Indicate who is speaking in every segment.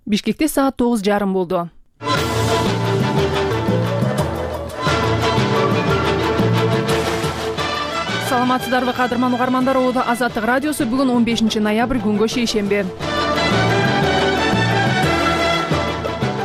Speaker 1: Бишкекте саат 9:30 болду. Саламатсыздарбы кадырман угармандар, Оодо Азаттык радиосу бүгүн 15 ноябрь күнгө шейшемби.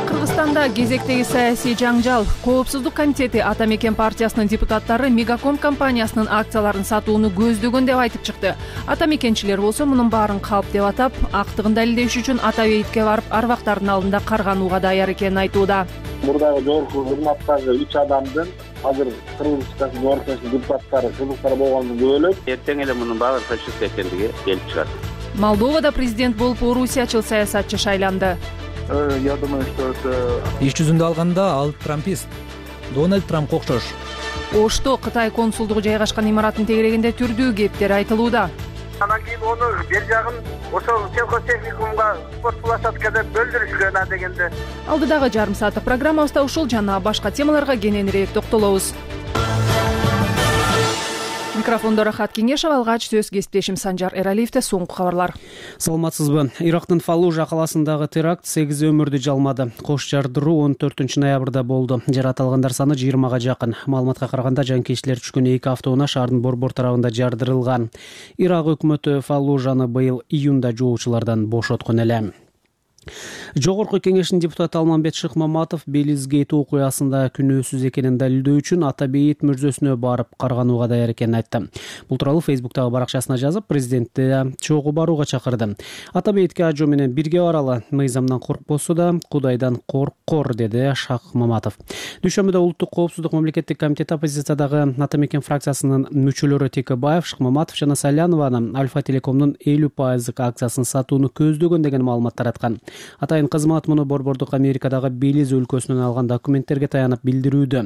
Speaker 1: Кыргызстанда кезектеги саясий жаңжал. Коопсуздук комитети Ата Мекен партиясынын депутаттары Мегаком компаниясынын акцияларын сатууну көздөгөн деп айтып чыкты. Ата Мекенчилер болсо мунун баарын калп деп атап, актыгын далилдеш үчүн Ата Бейитке барып арбактардын алдында карганууга даяр экенин айтууда.
Speaker 2: Мурдагы жогорку кызматтагы 3 адамдын азыр Кыргыз Республикасынын жогорку депутаттары кызыктар болгондон бөлөк
Speaker 3: эртең эле мунун баары фашист экендиги келип чыгат.
Speaker 1: Молдовада президент болуп орусиячыл саясатчы шайланды.
Speaker 2: Я думаю, что это
Speaker 4: Иш жүзүндө алганда ал трампист. Дональд Трампка окшош.
Speaker 1: Ошто Кытай консулдугу жайгашкан имараттын тегерегинде түрдүү кептер айтылууда.
Speaker 5: Анан кийин ону бер жагын ошол сельхозтехникумга спорт площадка деп бөлдүрүшкөн дегенде.
Speaker 1: Алдыдагы жарым сааттык программабызда ушул жана башка темаларга кененирээк токтолобуз. Микрофондо Рахат Кеңешев, алгач сөз кесиптешим Санжар Эралиевде. Соңку кабарлар.
Speaker 6: Саламатсызбы. Ирактын Фаллужа каласындагы теракт 8 өмүрдү жалмады. Кош жардыруу 14 ноябрда болду. Жаратылгандар саны 20га жакын. Маалыматка караганда жанкечтилер түшкөн 2 автоунаа шаардын борбор тарабында жардырылган. Ирак өкмөтү Фаллужаны быйыл июнда жоочулардан бошоткон эле. Жогорку кеңештин депутаты Алмамбет Шыкмаматов Белизгейт окуясында күнөөсүз экенин далилдөө үчүн Ата Бейит мүрзөсүнө барып карганууга даяр экенин айтты. Бул тууралуу Фейсбуктагы баракчасына жазып, президентти чогуу барууга чакырды. Ата Бейитке ажоо менен бирге баралы. Мыйзамдан коркпосо да Кудайдан коркор, деди Шыкмаматов. Дүйшөмбүдө Улуттук коопсуздук мамлекеттик комитет оппозициядагы Ата Мекен фракциясынын мүчөлөрү Текебаев, Шыкмаматов жана Салянованы Альфа Телекомдун 50% акциясын сатууну көздөгөн деген маалымат тараткан. Атайын кызмат муну борбордук Америкадагы Белиз өлкөсүнөн алган документтерге таянып билдирүүдө.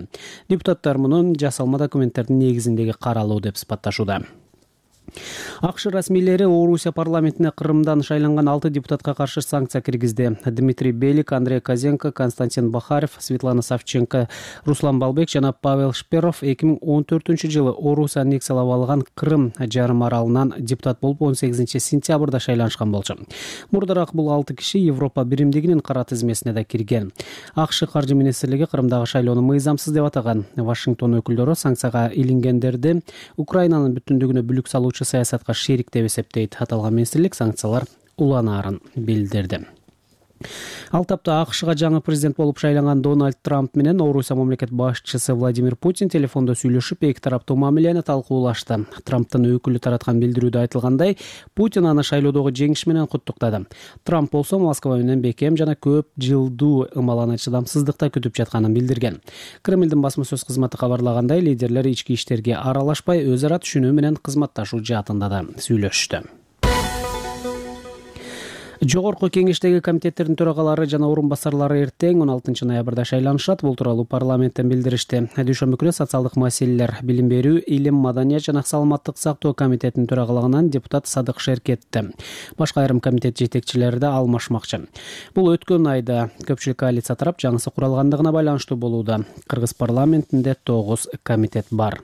Speaker 6: Депутаттар мунун жасалма документтердин негизиндеги каралуу деп сыпатташууда. АКШ расмийлери Орусия парламентине Кырымдан шайланган 6 депутатка каршы санкция киргизди. Дмитрий Белик, Андрей Козенко, Константин Бахарев, Светлана Савченко, Руслан Балбек жана Павел Шперов 2014-жылы Орусия аннексиялап алган Кырым жарым аралынан депутат болуп 18 сентябрда шайланышкан болчу. Мурдараак бул 6 киши Европа биримдигинин кара тизмесине да кирген. АКШ каржы министрлиги Кырымдагы шайлоону мыйзамсыз деп атаган. Вашингтон өкүлдөрү санкцияга илингендерди Украинанын бүтүндүгүнө бүлүк салуучу саясатка шерик деп эсептейт. Аталган министрлик санкциялар уланаарын билдирди. Ал тапта АКШга жаңы президент болуп шайланган Дональд Трамп менен Орусия мамлекет башчысы Владимир Путин телефондо сүйлөшүп, эки тараптуу мамилени талкуулашты. Трамптын өкүлү тараткан билдирүүдө айтылгандай, Путин аны шайлоодогу жеңиш менен куттуктады. Трамп болсо Москва менен бекем жана көп жылдуу ымаланы чыдамсыздыкта күтүп жатканын билдирген. Кремлдин басма сөз кызматы кабарлагандай, лидерлер ички иштерге аралашпай, өз ара түшүнүү менен кызматташуу жаатында да сүйлөштү. Жогорку кеңештеги комитеттердин төрагалары жана орун басарлары эртең 16 ноябрда шайланышат. Бул тууралуу парламенттен билдиришти. Дүйшөмбү күнү социалдык маселелер, билим берүү, илим, маданият жана саламаттык сактоо комитетинин төрагалыгынан депутат Садык Шеркетти. Башка айрым комитет жетекчилери да алмашмакчы. Бул өткөн айда көпчүлүк коалиция тарап жаңысы куралгандыгына байланыштуу болууда. Кыргыз парламентинде 9 комитет бар.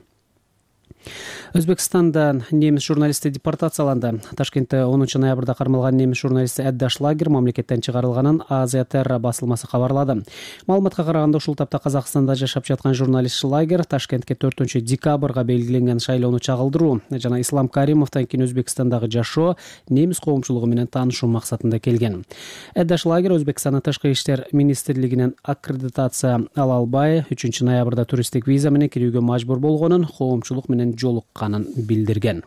Speaker 6: Өзбекстандан немис журналисти депортацияланды. Ташкентте 10 ноябрда кармалган немис журналисти Эдда Шлагер мамлекеттен чыгарылганын Азия Терра басылмасы кабарлады. Маалыматка караганда, ушул тапта Казакстанда жашап жаткан журналист Шлагер Ташкентке 4 декабрга белгиленген шайлоону чагылдыруу жана Ислам Каримовдон кийин Өзбекстандагы жашоо, немис коомчулугу менен таанышуу максатында келген. Эдда Шлагер Өзбекстандын тышкы иштер министрлигинен аккредитация ала албай 3 ноябрда туристтик виза менен кирүүгө мажбур болгонун, коомчулук менен жолукканын билдирген.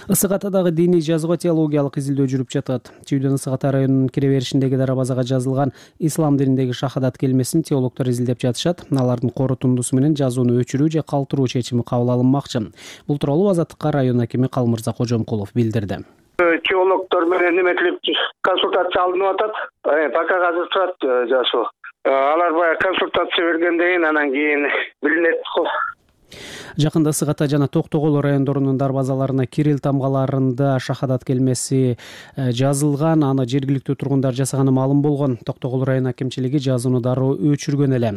Speaker 6: Ысык Атадагы диний жазго теологиялык изилдөө жүрүп жатат. Чүйдөн Ысык Ата районунун кире беришиндеги дарбазага жазылган ислам дининдеги шахадат келмесин теологдор изилдеп жатышат. Алардын корутундусу менен жазууну өчүрүү же калтыруу чечими кабыл алынмакчы. Бул тууралуу Азаттыкка район акими Калмырза Кожомкулов билдирди.
Speaker 5: Теологдор менен неметилип консультация алынып атат. Пока азыр турат жашоо. Алар баягы консультация бергенден кийин анан кийин билинет.
Speaker 6: Жакында Ысык Ата жана Токтогул райондорунун дарбазаларына Кирилл тамгаларында шахадат келмеси жазылган. Аны жергиликтүү тургундар жасаганы маалым болгон. Токтогул район акимчилиги жазууну дароо өчүргөн эле.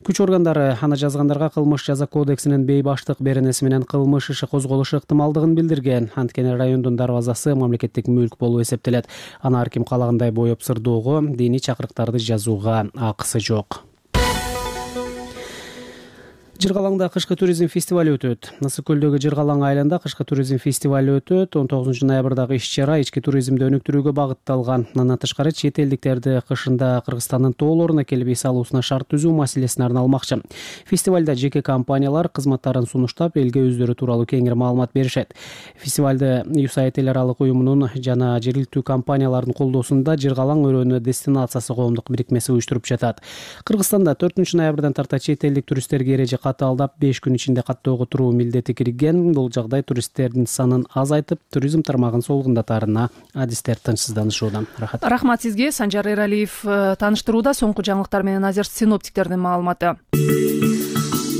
Speaker 6: Күч органдары аны жазгандарга кылмыш жаза кодексинин бейбаштык беренеси менен кылмыш иши козголушу ыктымалдыгын билдирген. Анткени райондун дарбазасы мамлекеттик мүлк болуп эсептелет. Аны ар ким каалагандай боеп сырдоого, диний чакырыктарды жазууга акысы жок. Жыргалаңда кышкы туризм фестивали өтөт. Ысык көлдөгү Жыргалаң айылында кышкы туризм фестивали өтөт. 19 ноябрдагы иш-чара ички туризмди өнүктүрүүгө багытталган. Андан тышкары чет элдиктерди кышында Кыргызстандын тоолоруна келип эс алуусуна шарт түзүү маселесин арналмакчы. Фестивалда жеке компаниялар кызматтарын сунуштап, элге өздөрү тууралуу кеңири маалымат беришет. Фестивалды USAID эл аралык уюмунун жана жергиликтүү компаниялардын колдоосунда Жыргалаң өрөөнү дестинациясы коомдук бирикмеси уюштуруп жатат. Кыргызстанда 4 ноябрдан тарта чет элдик туристтерге эреже катталдап 5 күн ичинде каттоого туруу милдети кирген. Бул жагдай туристтердин санын азайтып, туризм тармагын солгундатаарына адистер тынчсызданышууда.
Speaker 1: Рахмат сизге. Санжар Эралиев тааныштырууда. Соңку жаңылыктар менен азыр синоптиктердин маалыматы.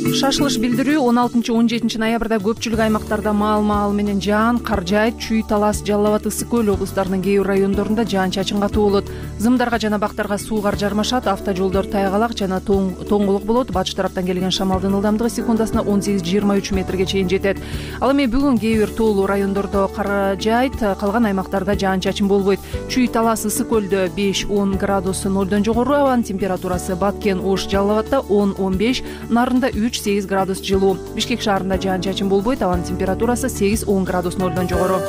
Speaker 1: Шашылыш билдирүү 16-17 ноябрда көпчүлүк аймактарда маал менен жаан, кар жаайт. Чүй, Талас, Жалал Абад, Ысык көл облустарынын кээ бир райондорунда жаан-чачын катуу болот. Зымдарга жана бактарга суугар жармашат. Автожолдор тайгалак жана тоңголук болот. Батыш тараптан келген шамалдын ылдамдыгы секундасына 18-23 метрге чейин жетет. Ал эми бүгүн кээ бир тоолуу райондордо кар жаайт, калган аймактарда жаан-чачын болбойт. Чүй, Талас, Ысык көлдө 5-10 градус нолдон жогору абанын температурасы, Баткен, Ош, Жалал Абадда 10-15, Нарында 3-8 градус жылуу. Бишкек шаарында жаан-чачын болбойт, абанын температурасы 8-10 градус нолдон жогору.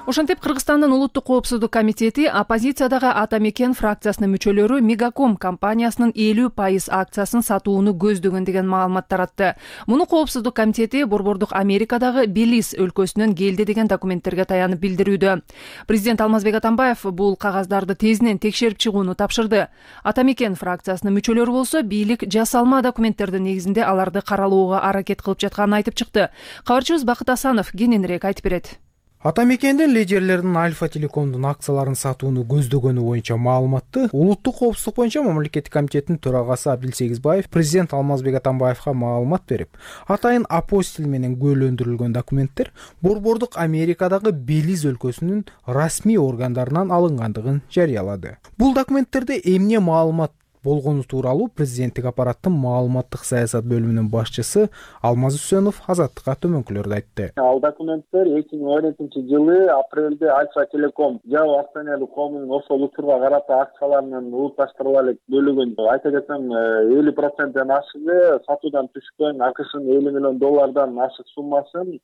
Speaker 1: Ошентип Кыргызстандын улуттук коопсуздук комитети оппозициядагы Ата Мекен фракциясынын мүчөлөрү Мегаком компаниясынын 50% акциясын сатууну көздөгөн деген маалымат таратты. Муну коопсуздук комитети Борбордук Америкадагы Белиз өлкөсүнөн келди деген документтерге таянып билдирүүдө. Президент Алмазбек Атамбаев бул кагаздарды тезинен текшерип чыгууну тапшырды. Ата Мекен фракциясынын мүчөлөрү болсо бийлик жасалма документтердин негизинде аларды каралоого аракет кылып жатканын айтып чыкты. Кабарчыбыз Бакыт Асанов кененирээк айтып берет.
Speaker 7: Ата Мекендин лидерлеринин Альфа Телекомдун акцияларын сатууну көздөгөнү боюнча маалыматты улуттук коопсуздук боюнча мамлекеттик комитеттин төрагасы Абдил Сегизбаев президент Алмазбек Атамбаевга маалымат берип, атайын апостиль менен көөлөндүрүлгөн документтер Борбордук Америкадагы Белиз өлкөсүнүн расмий органдарынан алынгандыгын жарыялады. Бул документтерде эмне маалымат болгону тууралуу президенттик аппараттын маалыматтык саясат бөлүмүнүн башчысы Алмаз Үсөнов Азаттыкка төмөнкүлөрдү айтты.
Speaker 2: Ал документтер 2017-жылы апрелде Альфа Телеком Жабо акционерлик коомунун ошол учурга карата акцияларынын улутташтырыла элек бөлүгүн айта кетсем 50%ден ашыгы сатуудан түшкөн АКШнын $50 миллион ашык суммасын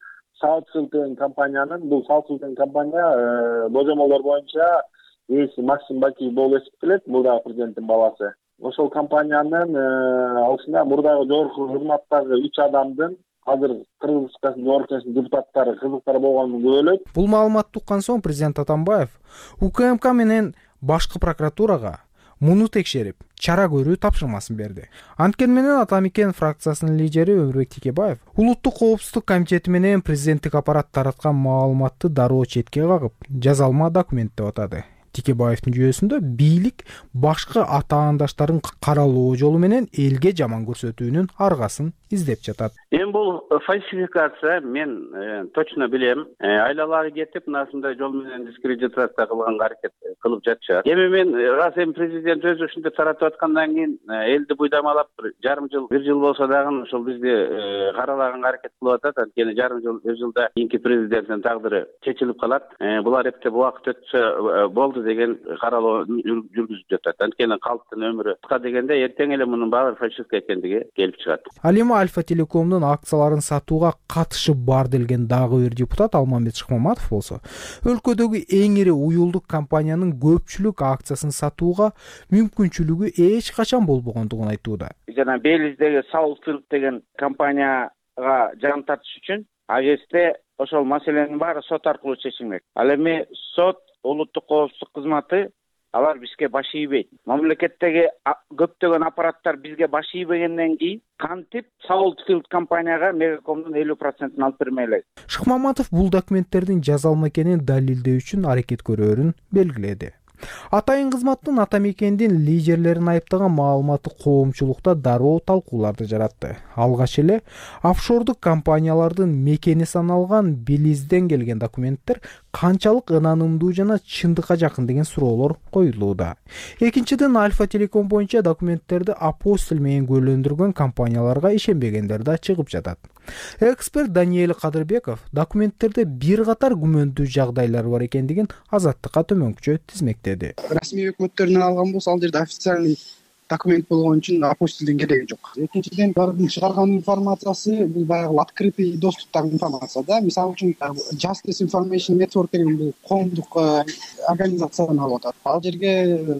Speaker 2: Southfield деген компаниянын, бул Southfield компания божомолдор боюнча ээси Максим Бакиев болуп эсептелет, мурдагы президенттин баласы. Ошол компаниянын алышында мурдагы жогорку кызматтагы 3 адамдын азыр Кыргыз Республикасынын жогорку депутаттары кызыктар болгонун көрөлөт.
Speaker 7: Бул маалыматты уккан соң президент Атамбаев УКМК менен башкы прокуратурага муну текшерип, чара көрүү тапшырмасын берди. Анткени менен Ата Мекен фракциясынын лидери Өмүрбек Текебаев улуттук коопсуздук комитети менен президенттик аппарат тараткан маалыматты дароо четке кагып, жазалма документ деп атады. Текебаевдин жүйөсүндө бийлик башкы атаандаштарын каралоо жолу менен элге жаман көрсөтүүнүн аргасын издеп жатат.
Speaker 3: Эми бул фальсификация, мен точно билем. Айлалары кетип, мынасындай жол менен дискредитация кылганга аракет кылып жатышат. Эми мен раз президент өзү ушинтип таратып аткандан кийин элди буйдамалап жарым жыл, бир жыл болсо дагы ошол бизди каралаганга аракет кылып атат. Анткени жарым жыл, бир жылда кийинки президенттин тагдыры чечилип калат. Булар эптеп убакыт өтсө болду деген каралоо жүргүзүп жатат. Анткени калктын өмүрү кыска дегенде эртең эле мунун баары фальсифика экендиги келип чыгат.
Speaker 7: Ал эми Альфа Телекомдун акцияларын сатууга катышы бар делген дагы бир депутат Алмамбет Шыкмаматов болсо, өлкөдөгү эң ири уюлдук компаниянын көпчүлүк акциясын сатууга мүмкүнчүлүгү эч качан болбогондугун айтууда.
Speaker 5: Жана Белиздеги Southfield деген компанияга жан тартыш үчүн агесте ошол маселенин баары сот аркылуу чечилмек. Ал эми сот улуттук коопсуздук кызматы алар бизге баш ийбейт. Мамлекеттеги көптөгөн аппараттар бизге баш ийбегенден кийин кантип Southfield компанияга Мегакомдун 50%-ын алып бермей элек.
Speaker 7: Шыкмаматов бул документтердин жазалма экенин далилдөө үчүн аракет көрөөрүн белгиледи. Атайын кызматтын ата мекендин лидерлерин айыптаган маалыматы коомчулукта дароо талкууларды жаратты. Алгач эле офшордук компаниялардын мекени саналган Белизден келген документтер канчалык ынанымдуу жана чындыкка жакын деген суроолор коюлууда. Экинчиден, Альфа Телеком боюнча документтерди апостил менен күбөлөндүргөн компанияларга ишенбегендер да чыгып жатат. Эксперт Даниэль Кадырбеков документтерде бир катар күмөндүү жагдайлар бар экендигин Азаттыкка төмөнкүчө тизмектеди.
Speaker 8: Расмий өкмөттөрүнөн алган болсо, ал жерде официальный документ болгон үчүн апостилдин кереги жок. Экинчиден, алардын чыгарган информациясы бул баягы открытый доступтагы информация да. Мисалы үчүн Justice Information Network деген бул коомдук организациядан алып атат. Ал жерге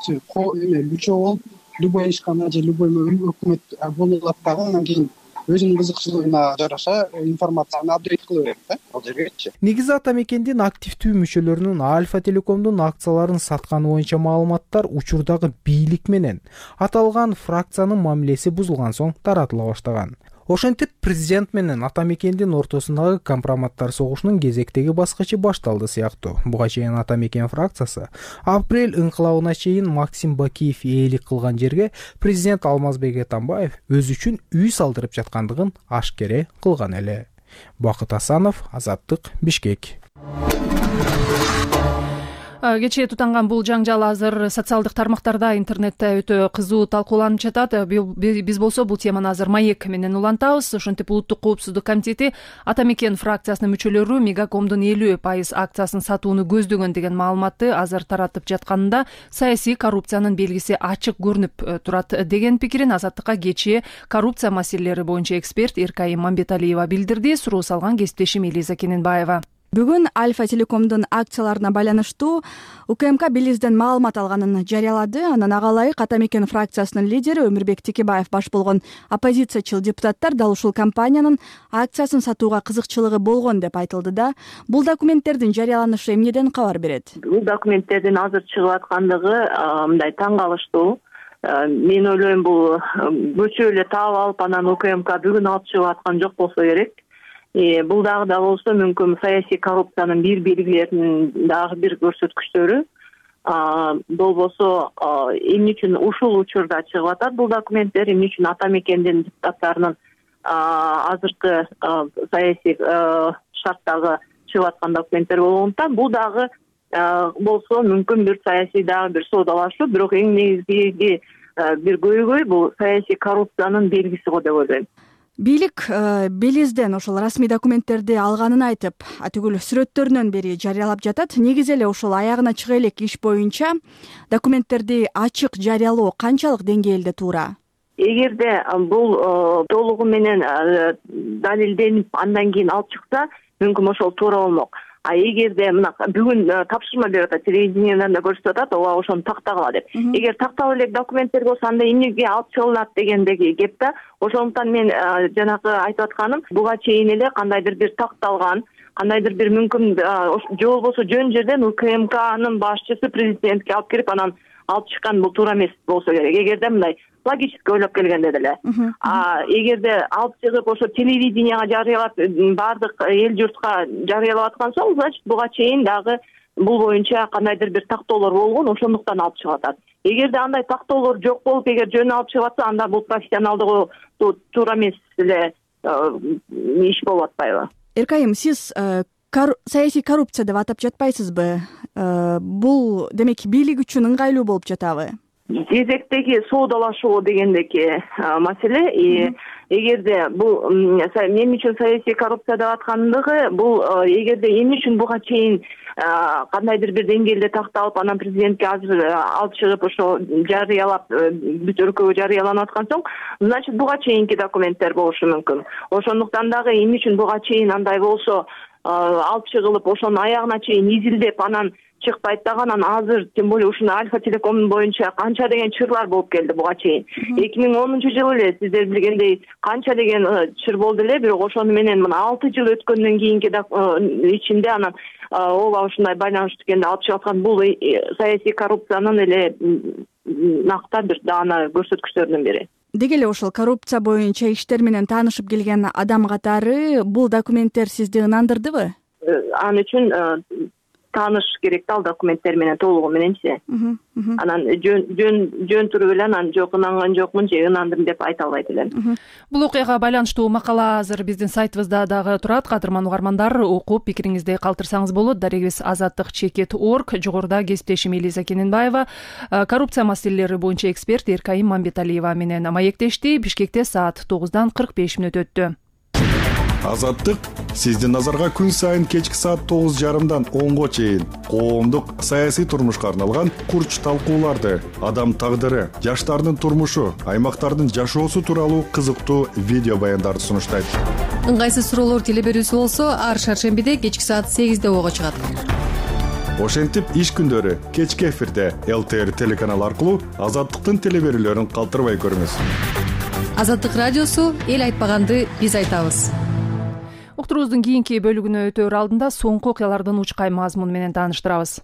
Speaker 8: мүчө болуп, любой ишкана же любой өкмөт болуп алат дагы, анан кийин өзүнүн кызыкчылыгына жараша информацияны апдейт кыла берет да ал жергечи.
Speaker 7: Негизи ата мекендин активдүү мүчөлөрүнүн Альфа Телекомдун акцияларын сатканы боюнча маалыматтар учурдагы бийлик менен аталган фракциянын мамилеси бузулган соң таратыла баштаган. Ошентип президент менен ата мекендин ортосундагы компроматтар согушунун кезектеги баскычы башталды сыяктуу. Буга чейин ата мекен фракциясы апрель ыңкылабына чейин Максим Бакиев ээлик кылган жерге президент Алмазбек Атамбаев өзү үчүн үй салдырып жаткандыгын ашкере кылган эле. Бакыт Асанов, Азаттык, Бишкек.
Speaker 1: Кечээ тутанган бул жаңжал азыр социалдык тармактарда, интернетте өтө кызуу талкууланып жатат. Биз болсо бул теманы азыр Маек менен улантабыз. Ошентип Улуттук коопсуздук комитети ата мекен фракциясынын мүчөлөрү Мегакомдун 50% акциясын сатууну көздөгөн деген маалыматты азыр таратып жатканында саясий коррупциянын белгиси ачык көрүнүп турат деген пикирин Азаттыкка кечээ коррупция маселелери боюнча эксперт Эркайым Мамбеталиева билдирди. Суроо салган кесиптешим Элиза Кененбаева.
Speaker 9: Бүгүн Альфа Телекомдун акцияларына байланыштуу УКМК Белизден маалымат алганын жарыялады. Анан ага ылайык ата мекен фракциясынын лидери Өмүрбек Текебаев баш болгон оппозициячыл депутаттар дал ушул компаниянын акциясын сатууга кызыкчылыгы болгон деп айтылды да. Бул документтердин жарыяланышы эмнеден кабар берет?
Speaker 10: Бул документтердин азыр чыгып аткандыгы мындай таң калыштуу. Мен ойлойм, бул көчө эле таап алып, анан УКМК бүгүн алып чыгып аткан жок болсо керек. Бул дагы да болсо мүмкүн саясий коррупциянын бир белгилеринин дагы бир көрсөткүчтөрү. Болбосо эмне үчүн ушул учурда чыгып атат бул документтер, эмне үчүн ата мекендин депутаттарынын азыркы саясий шарттагы чыгып аткан документтер болгондуктан бул дагы болсо мүмкүн бир саясий дагы бир соодалашуу, бирок эң негизги бир көйгөй бул саясий коррупциянын белгиси го деп ойлойм.
Speaker 9: Бийлик Белизден ошол расмий документтерди алганын айтып, атүгүл сүрөттөрүнөн бери жарыялап жатат. Негизи эле ошол аягына чыга элек иш боюнча документтерди ачык жарыялоо канчалык деңгээлде туура?
Speaker 10: Эгерде бул толугу менен далилденип андан кийин алып чыкса, мүмкүн ошол туура болмок. Эгерде мына бүгүн тапшырма берип атат, телевидениеден да көрсөтүп атат, ооба ошону тактагыла деп. Эгер такталып элек документтер болсо, анда эмнеге алып чыгылат дегендеги кеп да. Ошондуктан мен жанагы айтып атканым, буга чейин эле кандайдыр бир такталган, кандайдыр бир мүмкүн же болбосо жөн жерден УКМКнын башчысы президентке алып кирип анан алып чыккан, бул туура эмес болсо керек. Эгерде мындай логически ойлоп келгенде деле. Эгерде алып чыгып ошо телевиденияга жарыялап, баардык эл журтка жарыялап аткан соң, значит буга чейин дагы бул боюнча кандайдыр бир тактоолор болгон, ошондуктан алып чыгып атат. Эгерде андай тактоолор жок болуп, эгер жөн алып чыгып атса, анда бул профессионалдыгы туура эмес эле иш болуп атпайбы?
Speaker 9: Эркайым, сиз саясий коррупция деп атап жатпайсызбы? Бул демек бийлик үчүн ыңгайлуу болуп жатабы?
Speaker 10: Кезектеги соодалашуу дегендеги маселе. Эгерде бул мен үчүн саясий коррупция деп аткандыгы, бул эгерде эмне үчүн буга чейин кандайдыр бир деңгээлде такталып, анан президентке азыр алып чыгып ошо жарыялап, бүт өлкөгө жарыяланып аткан соң, значит буга чейинки документтер болушу мүмкүн. Ошондуктан дагы эмне үчүн буга чейин андай болсо, алып чыгылып, ошонун аягына чейин изилдеп, анан чыкпайт дагы, анан азыр тем более ушуну Альфа Телеком боюнча канча деген чырлар болуп келди буга чейин. 2010-жылы эле сиздер билгендей канча деген чыр болду эле, бирок ошону менен мына 6 жыл өткөндөн кийинки ичинде анан ооба ушундай байланыштуу экенин алып чыгып аткан, бул саясий коррупциянын эле накта бир даана көрсөткүчтөрүнүн бири.
Speaker 9: Деги эле ошол коррупция боюнча иштер менен таанышып келген адам катары бул документтер сизди ынандырдыбы?
Speaker 10: Ал үчүн тааныш керек да ал документтер менен толугу мененчи. Анан жөн туруп эле анан жок ынанган жокмун же ынандым деп айта албайт элем.
Speaker 1: Бул окуяга байланыштуу макала азыр биздин сайтыбызда дагы турат. Кадырман угармандар, окуп пикириңизди калтырсаңыз болот. Дарегибиз azаттык.org. Жогоруда кесиптешим Элиза Кененбаева коррупция маселелери боюнча эксперт Эркайым Мамбеталиева менен маектешти. Бишкекте саат 9:45 өттү.
Speaker 11: Азаттык сиздин назарга күн сайын кечки саат 9:30 10го чейин коомдук саясий турмушка арналган курч талкууларды, адам тагдыры, жаштардын турмушу, аймактардын жашоосу тууралуу кызыктуу видео баяндарды сунуштайт.
Speaker 12: Ыңгайсыз суроолор теле берүүсү болсо ар шаршембиде кечки саат 8де ого чыгат.
Speaker 11: Ошентип иш күндөрү кечки эфирде ЛТР телеканалы аркылуу Азаттыктын теле берүүлөрүн калтырбай көрүңүз.
Speaker 12: Азаттык радиосу эл айтпаганды биз айтабыз.
Speaker 1: Уктуруубуздун кийинки бөлүгүнө өтөөр алдында соңку окуялардын учкай мазмуну менен тааныштырабыз.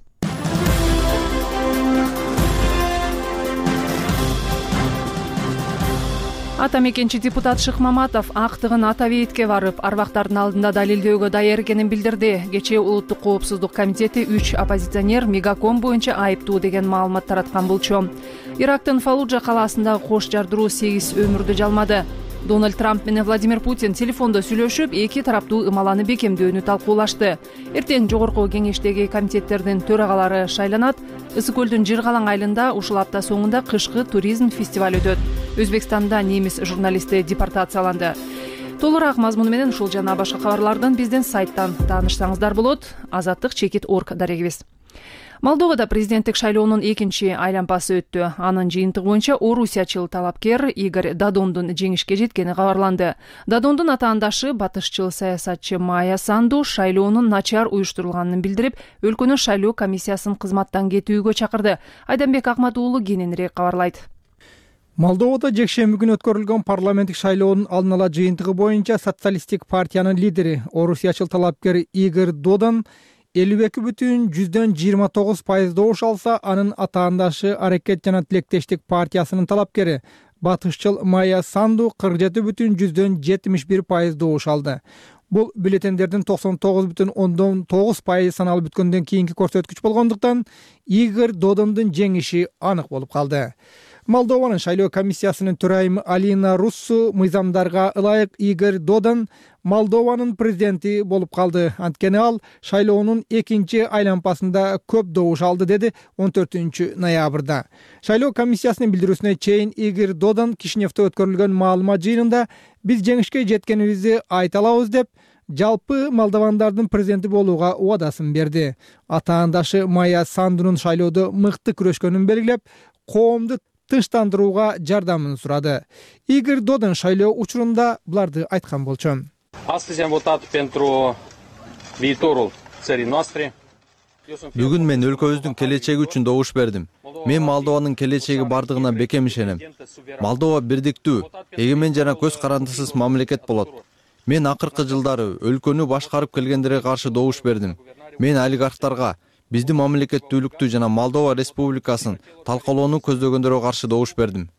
Speaker 1: Ата мекенчи депутат Шык Маматов актыгын ата бейитке барып, арбактардын алдында далилдөөгө даяр экенин билдирди. Кечээ Улуттук коопсуздук комитети 3 оппозиционер Мегаком боюнча айыптуу деген маалымат тараткан болчу. Ирактын Фаллуджа калаасындагы кош жардыруу 8 өмүрдү жалмады. Дональд Трамп менен Владимир Путин телефондо сүйлөшүп, эки тараптуу ымаланы бекемдөөнү талкуулашты. Эртең жогорку кеңештеги комитеттердин төрагалары шайланат. Ысык көлдүн Жыргалаң айылында ушул апта соңунда кышкы туризм фестиваль өтөт. Өзбекстанда немис журналисти депортацияланды. Толураак мазмуну менен ушул жана башка кабарлардын биздин сайттан таанышсаңыздар болот. azаттык.org дарегибиз. Молдовада президенттик шайлоонун экинчи айланпасы өттү. Анын жыйынтыгы боюнча орусиячыл талапкер Игорь Додондун жеңишке жеткени кабарланды. Додондун атаандашы батышчыл саясатчы Майя Санду шайлоонун начар уюштурулганын билдирип, өлкөнүн шайлоо комиссиясын кызматтан кетүүгө чакырды. Айданбек Акмат уулу кененирээк кабарлайт.
Speaker 7: Молдовада жекшемби күнү өткөрүлгөн парламенттик шайлоонун алдын ала жыйынтыгы боюнча социалисттик партиянын лидери, орусиячыл талапкер Игорь Додон 52,29% добуш алса, анын атаандашы Аракет жана тилектештик партиясынын талапкери батышчыл Майя Санду 47,71% добуш алды. Бул бюллетендердин 99,9% саналып бүткөндөн кийинки көрсөткүч болгондуктан Игорь Додондун жеңиши анык болуп калды. Молдованын шайлоо комиссиясынын төрайымы Алина Руссу мыйзамдарга ылайык Игорь Додон Молдованын президенти болуп калды. Анткени ал шайлоонун экинчи айланпасында көп добуш алды, деди 14-ноябрда. Шайлоо комиссиясынын билдирүүсүнө чейин Игорь Додон Кишиневде өткөрүлгөн маалымат жыйынында биз жеңишке жеткенибизди айта алабыз деп, жалпы молдовандардын президенти болууга убадасын берди. Атаандашы Майя Сандунун шайлоодо мыкты күрөшкөнүн белгилеп, коомду тынчтандырууга жардамын сурады. Игорь Додон шайлоо учурунда буларды айткан болчу.
Speaker 13: Бүгүн мен өлкөбүздүн келечеги үчүн добуш бердим. Мен Молдованын келечеги бардыгына бекем ишенем. Молдова бирдиктүү, эгемен жана көз карандысыз мамлекет болот. Мен акыркы жылдары өлкөнү башкарып келгендерге каршы добуш бердим. Мен олигархтарга, биздин мамлекеттүүлүктү жана Молдова республикасын талкалоону көздөгөндөргө каршы добуш бердим.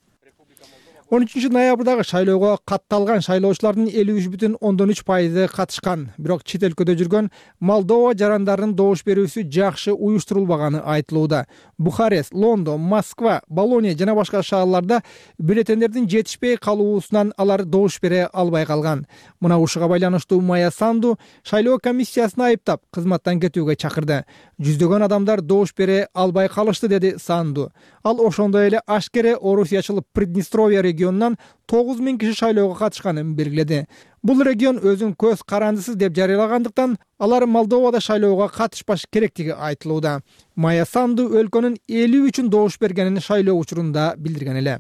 Speaker 7: 13-ноябрдагы шайлоого катталган шайлоочулардын 53,3% катышкан. Бирок чет өлкөдө жүргөн Молдова жарандарынын добуш берүүсү жакшы уюштурулбаганы айтылууда. Бухарест, Лондон, Москва, Болония жана башка шаарларда бюллетендердин жетишпей калуусунан алар добуш бере албай калган. Мына ушуга байланыштуу Майя Санду шайлоо комиссиясын айыптап, кызматтан кетүүгө чакырды. Жүздөгөн адамдар добуш бере албай калышты, деди Санду. Ал ошондой эле ашкере орусиячыл Приднестровье регионунан 9,000 киши шайлоого катышканын белгиледи. Бул регион өзүн көз карандысыз деп жарыялагандыктан алар Молдовада шайлоого катышпаш керектиги айтылууда. Майя Санду өлкөнүн 50 үчүн добуш бергенин шайлоо учурунда билдирген эле.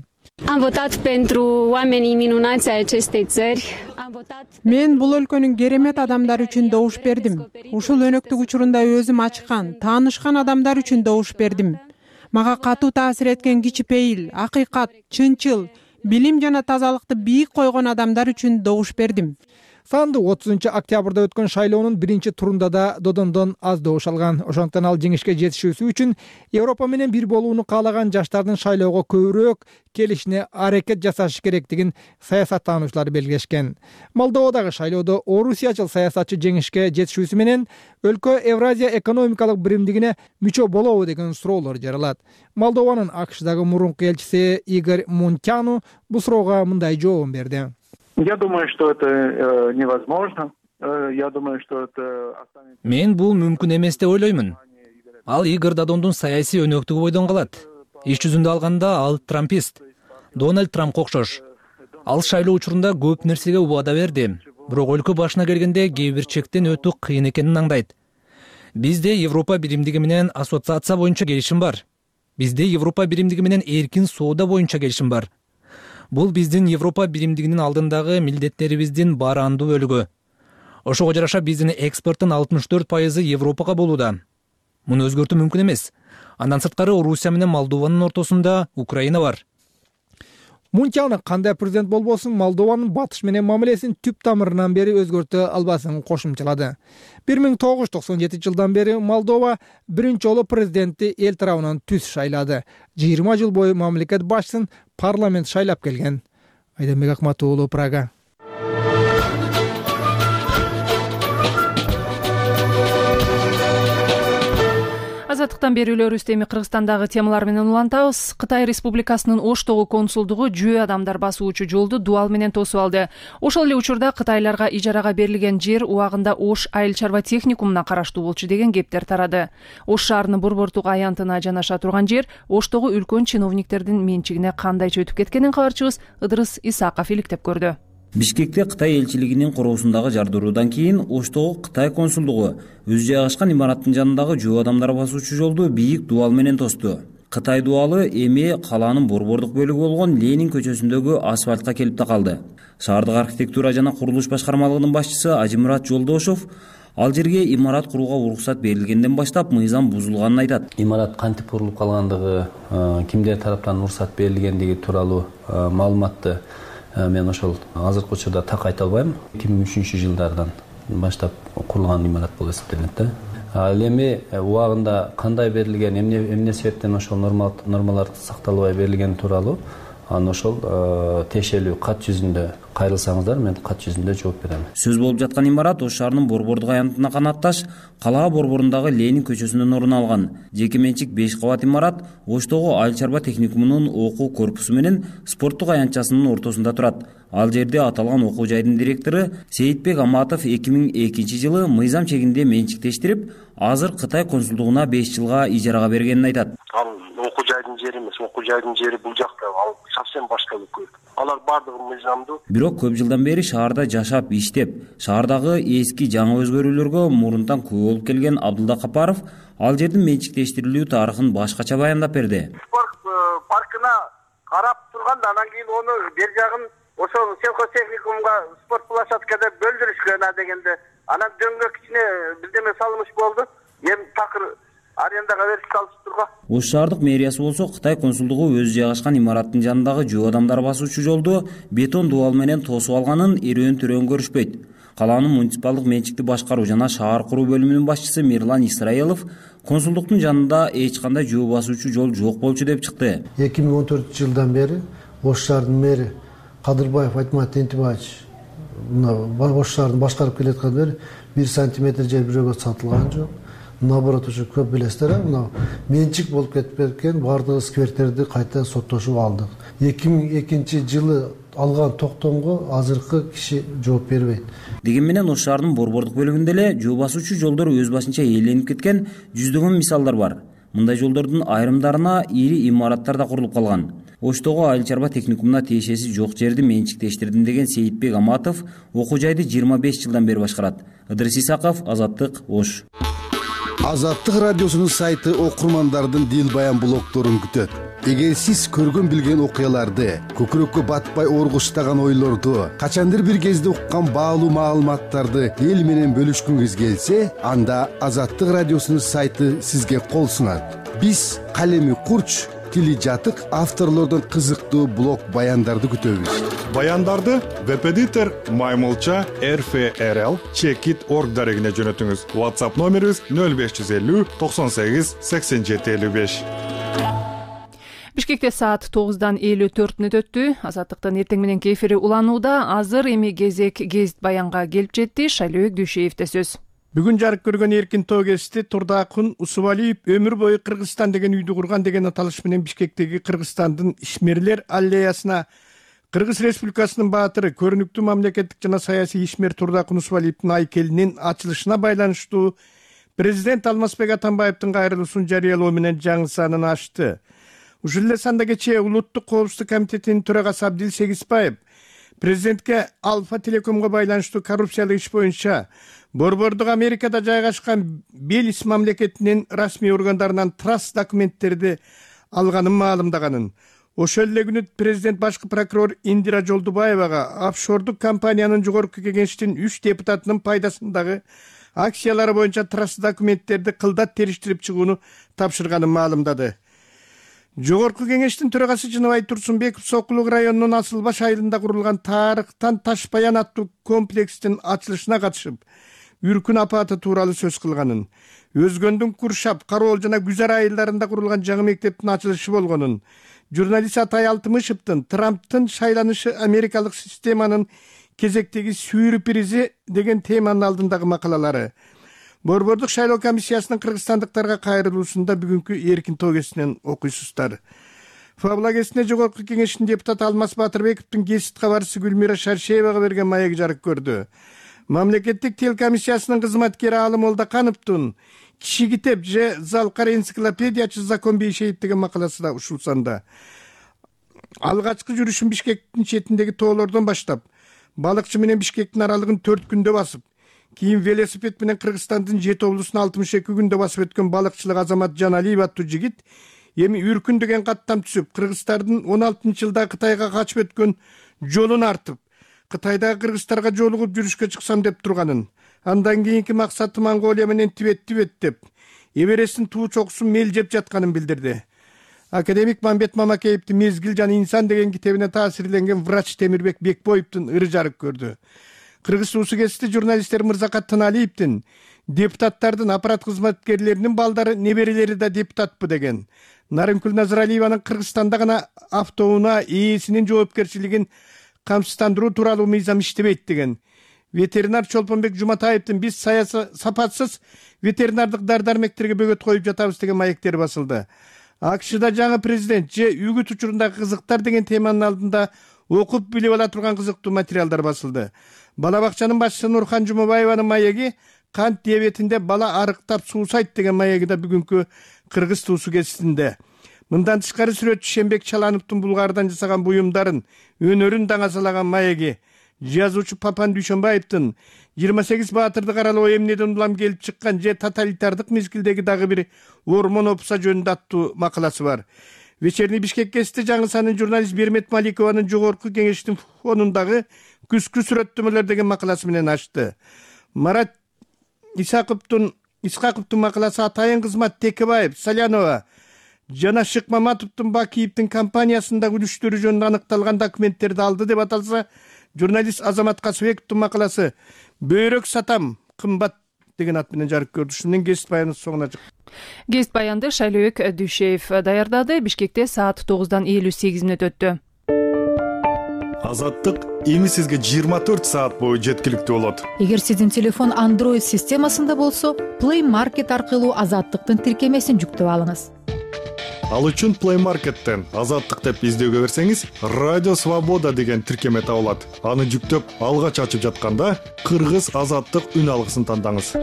Speaker 14: Мен бул өлкөнүн керемет адамдары үчүн добуш бердим. Ушул өнөктүк учурунда өзүм ачкан, таанышкан адамдар үчүн добуш бердим. Мага катуу таасир эткен кичипейил, акыйкат, чынчыл, билим жана тазалыкты бийик койгон адамдар үчүн добуш бердим.
Speaker 7: Санду 30-октябрда өткөн шайлоонун биринчи турунда да Додондон аз добуш алган. Ошондуктан ал жеңишке жетишүүсү үчүн Европа менен бир болууну каалаган жаштардын шайлоого көбүрөөк келишине аракет жасашы керектигин саясаттануучулар белгилешкен. Молдовадагы шайлоодо орусиячыл саясатчы жеңишке жетишүүсү менен өлкө Евразия экономикалык биримдигине мүчө болобу деген суроолор жаралат. Молдованын АКШдагы мурунку элчиси Игорь Мунтяну бул суроого мындай жообун берди.
Speaker 15: Я думаю, что это невозможно. Я думаю, что это...
Speaker 4: Мен бул мүмкүн эмес деп ойлоймун. Ал Игорь Додондун саясий өнөктүгү бойдон калат. Иш жүзүндө алганда ал трампист. Дональд Трампка окшош. Ал шайлоо учурунда көп нерсеге убада берди. Бирок өлкө башына келгенде кээ бир чектен өтүү кыйын экенин аңдайт. Бизде Европа биримдиги менен ассоциация боюнча келишим бар. Бизде Европа биримдиги менен эркин соода боюнча келишим бар. Бул биздин Европа биримдигинин алдындагы милдеттерибиздин баардуу бөлүгү. Ошого жараша биздин экспорттун 64% Европага болууда. Муну өзгөртүү мүмкүн эмес. Андан сырткары Орусия менен Молдованын ортосунда Украина бар.
Speaker 7: Мунтяну кандай президент болбосун Молдованын батыш менен мамилесин түп тамырынан бери өзгөртө албасын кошумчалады. 1997 жылдан бери Молдова биринчи жолу президентти эл тарабынан түз шайлады. 20 жыл бою мамлекет башчысын парламент шайлап келген. Айдарбек Акматов уулу, Прага.
Speaker 1: Азаттыктан берүүлөрүбүздү эми Кыргызстандагы темалар менен улантабыз. Кытай Республикасынын Оштогу консулдугу жөө адамдар басуучу жолду дуал менен тосуп алды. Ошол эле учурда кытайларга ижарага берилген жер убагында Ош айыл чарба техникумуна караштуу болчу деген кептер тарады. Ош шаарынын борбордук аянтына жанаша турган жер Оштогу үлкөн чиновниктердин менчигине кандайча өтүп кеткенин кабарчыбыз Ыдырыс Исаков иликтеп көрдү.
Speaker 16: Бишкекте Кытай элчилигинин короосундагы жардыруудан кийин Оштогу Кытай консулдугу өзү жайгашкан имараттын жанындагы жөө адамдар басуучу жолду бийик дуал менен тосту. Кытай дуалы эми калаанын борбордук бөлүгү болгон Ленин көчөсүндөгү асфальтка келип такалды. Шаардык архитектура жана курулуш башкармалыгынын башчысы Ажимурат Жолдошов ал жерге имарат курууга уруксат берилгенден баштап мыйзам бузулганын айтат.
Speaker 17: Имарат кантип курулуп калгандыгы, кимдер тараптан уруксат берилгендиги тууралуу маалыматты мен ошол азыркы учурда так айта албайм. 2003 жылдардан баштап курулган имарат болуп эсептелет да. Ал эми убагында кандай берилген, эмне себептен ошол нормалар сакталбай берилгени тууралуу аны ошол тиешелүү кат жүзүндө кайрылсаңыздар, мен кат жүзүндө жооп берем.
Speaker 16: Сөз болуп жаткан имарат Ош шаарынын борбордук аянтына канатташ калаа борборундагы Ленин көчөсүнөн орун алган. Жеке менчик 5 кабат имарат Оштогу айыл чарба техникумунун окуу корпусу менен спорттук аянтчасынын ортосунда турат. Ал жерде аталган окуу жайдын директору Сейитбек Аматов 2002 жылы мыйзам чегинде менчиктештирип, азыр Кытай консулдугуна 5 жылга ижарага бергенин айтат.
Speaker 18: Окуу жайдын жери эмес, окуу жайдын жери бул жакта, ал совсем башка өлкө. Алар бардыгы мыйзамдуу.
Speaker 16: Бирок көп жылдан бери шаарда жашап, иштеп, шаардагы эски жаңы өзгөрүүлөргө мурунтан күбө болуп келген Абдулда Капаров ал жердин менчиктештирилүү тарыхын башкача баяндап берди.
Speaker 18: Спорт паркына карап турганда анан кийин ону бер жагын ошол сельхозтехникумга спорт площадкада бөлдүрүшкөн дегенде анан дөңгөк ичине бирдеме салыныш болду. Эми такыр арендага берип салыштырго.
Speaker 16: Ош шаардык мэриясы болсо Кытай консулдугу өзү жайгашкан имараттын жанындагы жөө адамдар басуучу жолду бетон дуал менен тосуп алганын эрөөн-төрөөн көрүшпөйт. Калаанын муниципалдык менчикти башкаруу жана шаар куруу бөлүмүнүн башчысы Мирлан Исраилов консулдуктун жанында эч кандай жөө басуучу жол жок болчу деп чыкты.
Speaker 19: 2014 жылдан бери Ош шаарынын мэри Кадырбаев Айтмат Тентибаевич Ош шаарын башкарып келаткандан бери 1 сантиметр жер бирөөгө сатылган жок. Наоборот, ушу көп билесиздер, мына менчик болуп кетип кеткен бардык скверттерди кайта соттошуп алдык. 2002 жылы алган токтомго азыркы киши жооп бербейт.
Speaker 16: Деген менен Ош шаарынын борбордук бөлүгүндө эле жөө басуучу жолдор өз башынча ээленип кеткен жүздөгөн мисалдар бар. Мындай жолдордун айрымдарына ири имараттар да курулуп калган. Оштогу айыл чарба техникумуна тиешеси жок жерди менчиктештирдим деген Сейитбек Аматов окуу жайды 25 жылдан бери башкарат. Ыдырыс Исаков, Азаттык, Ош.
Speaker 20: Азаттык радиосунун сайты окурмандардын дил баян блогторун күтөт. Эгер сиз көргөн билген окуяларды, көкүрөккө батпай оргуштаган ойлорду, качандыр бир кезде уккан баалуу маалыматтарды эл менен бөлүшкүңүз келсе, анда Азаттык радиосунун сайты сизге кол сунат. Биз калеми курч, тили жатык авторлордон кызыктуу блог баяндарды күтөбүз.
Speaker 11: Баяндарды Веб-эдитор mymulcha@rfrl.org дарегине жөнөтүңүз. WhatsApp номерибиз 0550 98 87 55.
Speaker 1: Бишкекте саат 9:54 өттү. Азаттыктын эртең мененки эфири уланууда. Азыр эми кезек Гезит Баянга келип жетти. Шайлөөк Дүйшеевде сөз.
Speaker 21: Бүгүн жарык көргөн эркин тоо кести Турдакун Усубалиев өмүр бою Кыргызстан деген үйдү курган деген аталыш менен Бишкектеги Кыргызстандын ишмерлер аллеясына Кыргыз Республикасынын баатыры, көрүнүктүү мамлекеттик жана саясий ишмер Турдакун Усубалиевдин айкелинин ачылышына байланыштуу президент Алмазбек Атамбаевдин кайрылуусун жарыялоо менен жаңы санын ачты. Ушул эле санда кечээ Улуттук коопсуздук комитетинин төрагасы Абдил Сегизбаев президентке Альфа Телекомго байланыштуу коррупциялык иш боюнча Борбордук Америкада жайгашкан Белис мамлекетинин расмий органдарынан траст документтерди алганын маалымдаганын. Ошол эле күнү президент башкы прокурор Индира Жолдубаевага офшордук компаниянын жогорку кеңештин 3 депутатынын пайдасындагы акциялары боюнча траст документтерди кылдат териштирип чыгууну тапшырганын маалымдады. Жогорку кеңештин төрагасы Жыныбай Турсунбеков Сокулук районунун Асылбаш айылында курулган Тарыктан Ташбаян аттуу комплекстин ачылышына катышып, Үркүн апаты тууралуу сөз кылганын, Өзгөндүн Куршап, Кароол жана Гүзар айылдарында курулган жаңы мектептин ачылышы болгонун, журналист Атай Алтымышевдин Трамптын шайланышы Америкалык системанын кезектеги сюрпризи деген теманын алдындагы макалалары, Борбордук шайлоо комиссиясынын кыргызстандыктарга кайрылуусунда бүгүнкү эркин тоо кесинен окуйсуздар. Фабла кесине жогорку кеңештин депутаты Алмаз Батырбековдун Гезит кабарчысы Гүлмира Шаршеевага берген маеги жарык көрдү. Мамлекеттик телекомиссиясынын кызматкери Алым Молдокановдун Киши китеп же Залкар энциклопедиячы Закон Бейшеев деген макаласы да ушул санда. Алгачкы жүрүшүн Бишкектин четиндеги тоолордон баштап, балыкчы менен Бишкектин аралыгын 4 күндө басып, кийин велосипед менен Кыргызстандын 7 облусун 62 күндө басып өткөн балыкчылык Азамат Жаналиев аттуу жигит эми Үркүн деген каттам түзүп, Кыргыздардын 16-жылда Кытайга качып өткөн жолун артып, Кытайдагы кыргыздарга жолугуп жүрүшкө чыксам деп турганын, андан кийинки максаты Монголия менен Тибетти беттеп, Эвересттин туу чокусун мелжеп жатканын билдирди. Академик Мамбет Мамакеевдин Мезгил жана инсан деген китебине таасирленген врач Темирбек Бекбоевдун ыры жарык көрдү. Кыргыз суусу кести журналисттер Мырзакат Тыналиевдин депутаттардын аппарат кызматкерлеринин балдары, неберелери да депутатпы деген. Нарынкүл Назаралиеванын Кыргызстанда гана автоунаа ээсинин жоопкерчилигин камсыздандыруу тууралуу мыйзам иштебейт деген. Ветеринар Чолпонбек Жуматаевдин биз сапатсыз ветеринардык дары-дармектерге бөгөт коюп жатабыз деген маектери басылды. АКШда жаңы президент же үгүт учурундагы кызыктар деген теманын алдында окуп билип ала турган кызыктуу материалдар басылды. Бала бакчанын башчысы Нурхан Жумабаеванын маеги кант диабетинде бала арыктап суусайт деген маеги да бүгүнкү Кыргыз туусу кесисинде. Мындан тышкары сүрөтчү Шембек Чалановдун Булгардан жасаган буюмдарын, өнөрүн даңазалаган маеги, жазуучу Папан Дүйшөнбаевдин 28 баатырды каралоо эмнеден улам келип чыккан же тоталитардык мезгилдеги дагы бир ормон опса жөнүндө аттуу макаласы бар. Вечерний Бишкек кести жаңы санын журналист Бермет Маликованын жогорку кеңештин фонундагы күзгү сүрөттөмөлөр деген макаласы менен ачты. Марат Исаковдун макаласы Атайын кызмат Текебаев, Салянова жана Шыкмаматовдун Бакиевдин компаниясындагы үлүштөрү жөнүндө аныкталган документтерди алды деп аталса, журналист Азамат Касыбековдун макаласы Бөйрөк сатам кымбат деген ат менен жарык көрдү. Ушунун Гезит Баянын соңуна чыкты.
Speaker 1: Гезит Баянды Шайлөөк Дүйшеев даярдады. Бишкекте саат 9:58 өттү.
Speaker 11: Азаттык эми сизге 24 саат бою жеткиликтүү болот.
Speaker 22: Эгер сиздин телефон Android системасында болсо, Play Market аркылуу Азаттыктын тиркемесин жүктөп алыңыз.
Speaker 11: Ал үчүн Play Market'тен Азаттык деп издөөгө берсеңиз, Радио Свобода деген тиркеме табылат. Аны жүктөп, алгач ачып жатканда Кыргыз Азаттык үн алгысын тандаңыз.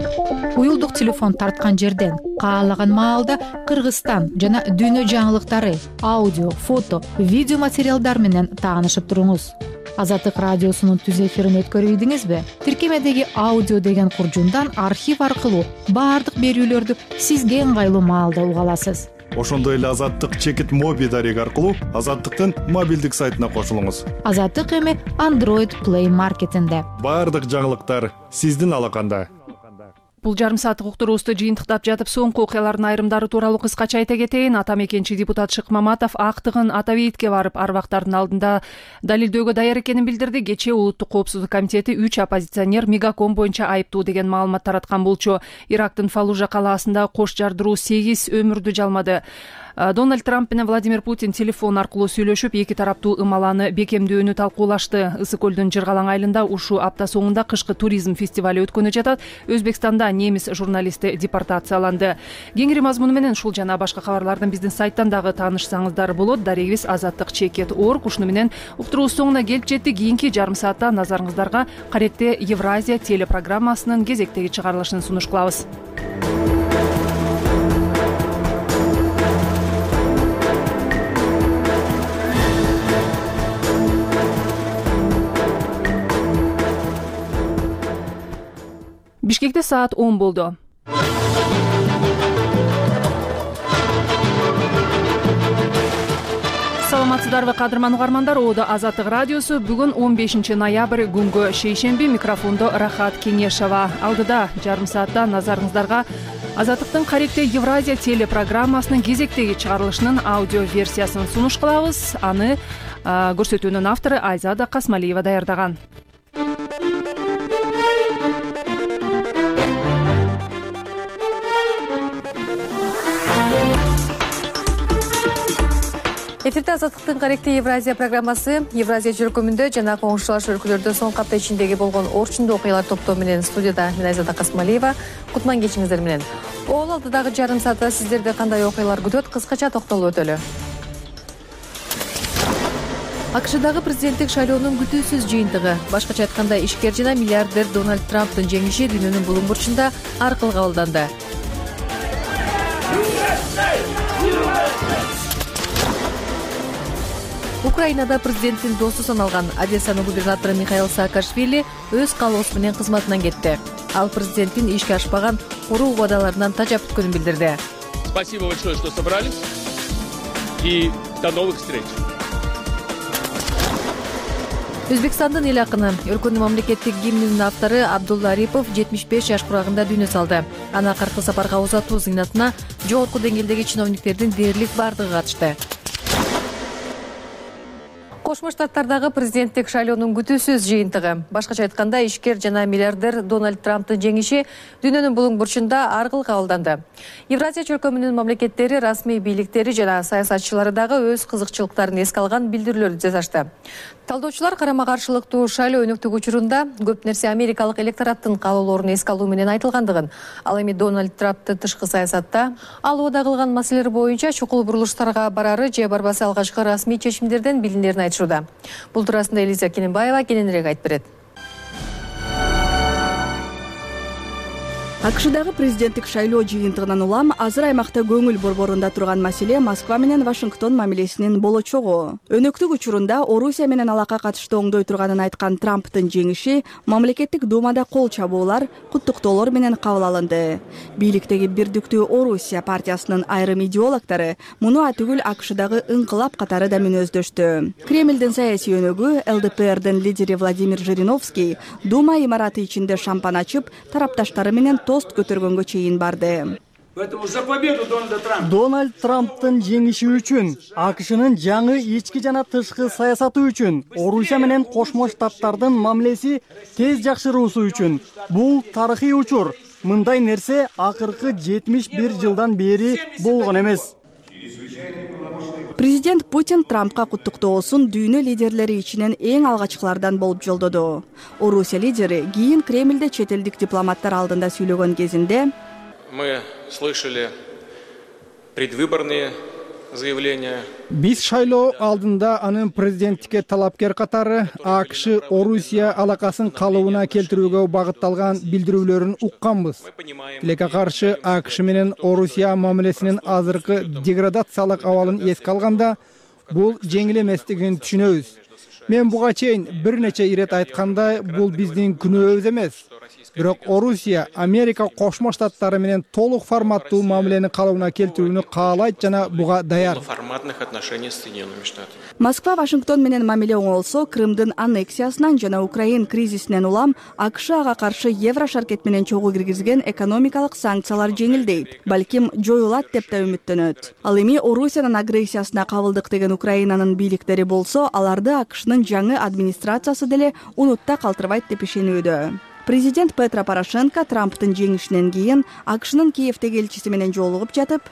Speaker 22: Уюлдук телефон тарткан жерден каалаган маалда Кыргызстан жана дүйнө жаңылыктары, аудио, фото, видео материалдар менен таанышып туруңуз. Азаттык радиосунун түз эфирин өткөрбөйдүңүзбү? Тиркемедеги аудио деген куржундан архив аркылуу баардык берүүлөрдү сизге ыңгайлуу маалда уга аласыз.
Speaker 11: Ошондой эле Азаттык чекит моби дареги аркылуу Азаттыктын мобилдик сайтына кошулуңуз.
Speaker 22: Азаттык эми Android Play Market'инде.
Speaker 11: Баардык жаңылыктар сиздин алаканда.
Speaker 1: Бул жарым сааттык уктуруубузду жыйынтыктап жатып, соңку окуялардын айрымдары тууралуу кыскача айта кетейин. Ата мекенчи депутат Шык Маматов актыгын Атабейитке барып, арбактардын алдында далилдөөгө даяр экенин билдирди. Кечээ Улуттук коопсуздук комитети 3 оппозиционер Мегаком боюнча айыптуу деген маалымат тараткан болчу. Ирактын Фалужа калаасында кош жардыруу 8 өмүрдү жалмады. Дональд Трамп менен Владимир Путин телефон аркылуу сүйлөшүп, эки тараптуу ымаланы бекемдөөнү талкуулашты. Ысык көлдүн Жыргалаң айылында ушул апта соңунда кышкы туризм фестивали өткөнү жатат. Өзбекстанда немис журналисти депортацияланды. Кеңири мазмуну менен ушул жана башка кабарлардын биздин сайттан дагы таанышсаңыздар болот. Дарегибиз azattik.org. Ушуну менен уктуруубуз соңуна келип жеттик. Кийинки жарым саатта назарыңыздарга Каректе Евразия телепрограммасынын кезектеги чыгарылышын сунуш кылабыз. Бишкекте саат 10 болду. Саламатсыздарбы кадырман угармандар, Оодо Азаттык радиосу. Бүгүн 15 ноябрь күнгө шейшемби, микрофондо Рахат Кеңешова. Алдыда жарым саатта назарыңыздарга Азаттыктын Каректе Евразия телепрограммасынын кезектеги чыгарылышынын аудио версиясын сунуш кылабыз. Аны көрсөтүүнүн автору Айзада Касмалиева даярдаган.
Speaker 2: Эфирде Азаттыктын Каректе Евразия программасы. Евразия жөрөкөмүндө жана коңшулаш өлкөлөрдө соңку апта ичиндеги болгон орчундуу окуялар топтоо менен студияда мен Айзада Касмалиева. Кутман кечиңиздер менен. Ол алдыдагы жарым саатта сиздерди кандай окуялар күтөт, кыскача токтолуп өтөлү. АКШдагы президенттик шайлоонун күтүүсүз жыйынтыгы. Башкача айтканда, ишкер жана миллиардер Дональд Трамптын жеңиши дүйнөнүн булуң бурчунда аркылуу кабылданды. Украинада президенттин досу саналган Одессанын губернатору Михаил Саакашвили өз каалоосу менен кызматынан кетти. Ал президенттин ишке ашпаган куруу убадаларынан тажап бүткөнүн билдирди.
Speaker 6: Спасибо большое, что собрались, и до новых встреч.
Speaker 2: Өзбекстандын эл акыны, өлкөнүн мамлекеттик гимнинин автору Абдулла Арипов 75 жаш курагында дүйнө салды. Аны акыркы сапарга узатуу зыйнатына жогорку деңгээлдеги чиновниктердин дээрлик бардыгы катышты. Кошмо Штаттардагы президенттик шайлоонун күтүүсүз жыйынтыгы. Башкача айтканда, ишкер жана миллиардер Дональд Трамптын жеңиши дүйнөнүн булуң бурчунда аркылуу кабылданды. Евразия чөлкөмүнүн мамлекеттери, расмий бийликтери жана саясатчылары дагы өз кызыкчылыктарын эске алган билдирүүлөрдү жасашты. Талдоочулар карама-каршылыктуу шайлоо өнөктүк учурунда көп нерсе америкалык электораттын каалоолорун эске алуу менен айтылгандыгын, ал эми Дональд Трамптын тышкы саясатта ал убада кылган маселелер боюнча чукул бурулуштарга барары же барбасы алгачкы расмий чечимдерден билинерин айтышууда. Бул туурасында Элиза Кененбаева кененирээк айтып берет.
Speaker 9: АКШдагы президенттик шайлоо жыйынтыгынан улам азыр аймакта көңүл борборунда турган маселе Москва менен Вашингтон мамилесинин болочогу. Өнөктүк учурунда Орусия менен алака катышты оңдой турганын айткан Трамптын жеңиши мамлекеттик думада кол чабуулар, куттуктоолор менен кабыл алынды. Бийликтеги Бирдиктүү Орусия партиясынын айрым идеологдору муну атүгүл АКШдагы ыңкылап катары да мүнөздөштү. Кремлдин саясий өнөгү ЛДПРдин лидери Владимир Жириновский дума имараты ичинде шампан ачып, тарапташтары менен тост көтөргөнгө чейин барды.
Speaker 23: Дональд Трамптын жеңиши үчүн, АКШнын жаңы ички жана тышкы саясаты үчүн, Орусия менен Кошмо Штаттардын мамилеси тез жакшыруусу үчүн бул тарыхый учур. Мындай нерсе акыркы 71 жылдан бери болгон эмес.
Speaker 9: Президент Путин Трампка куттуктоосун дүйнө лидерлери ичинен эң алгачкылардан болуп жолдоду. Орусия лидери кийин Кремлде чет элдик дипломаттар алдында сүйлөгөн кезинде
Speaker 6: Мы слышали предвыборные заявления.
Speaker 21: Биз шайлоо алдында анын президенттикке талапкер катары АКШ Орусия алакасын калыбына келтирүүгө багытталган билдирүүлөрүн укканбыз. Тилекке каршы АКШ менен Орусия мамилесинин азыркы деградациялык абалын эске алганда бул жеңил эместигин түшүнөбүз. Мен буга чейин бир нече ирет айткандай, бул биздин күнөөбүз эмес. Бирок Орусия Америка Кошмо Штаттары менен толук форматтуу мамилени калыбына келтирүүнү каалайт жана буга даяр.
Speaker 9: Москва Вашингтон менен мамиле оңолсо, Крымдын аннексиясынан жана Украин кризисинен улам АКШ ага каршы Евро шаркет менен чогуу киргизген экономикалык санкциялар жеңилдейт, балким жоюлат деп да үмүттөнөт. Ал эми Орусиянын агрессиясына кабылдык деген Украинанын бийликтери болсо, аларды АКШнын жаңы администрациясы деле унутта калтырбайт деп ишенүүдө. Президент Петро Порошенко Трамптын жеңишинен кийин АКШнын Киевдеги элчиси менен жолугуп жатып,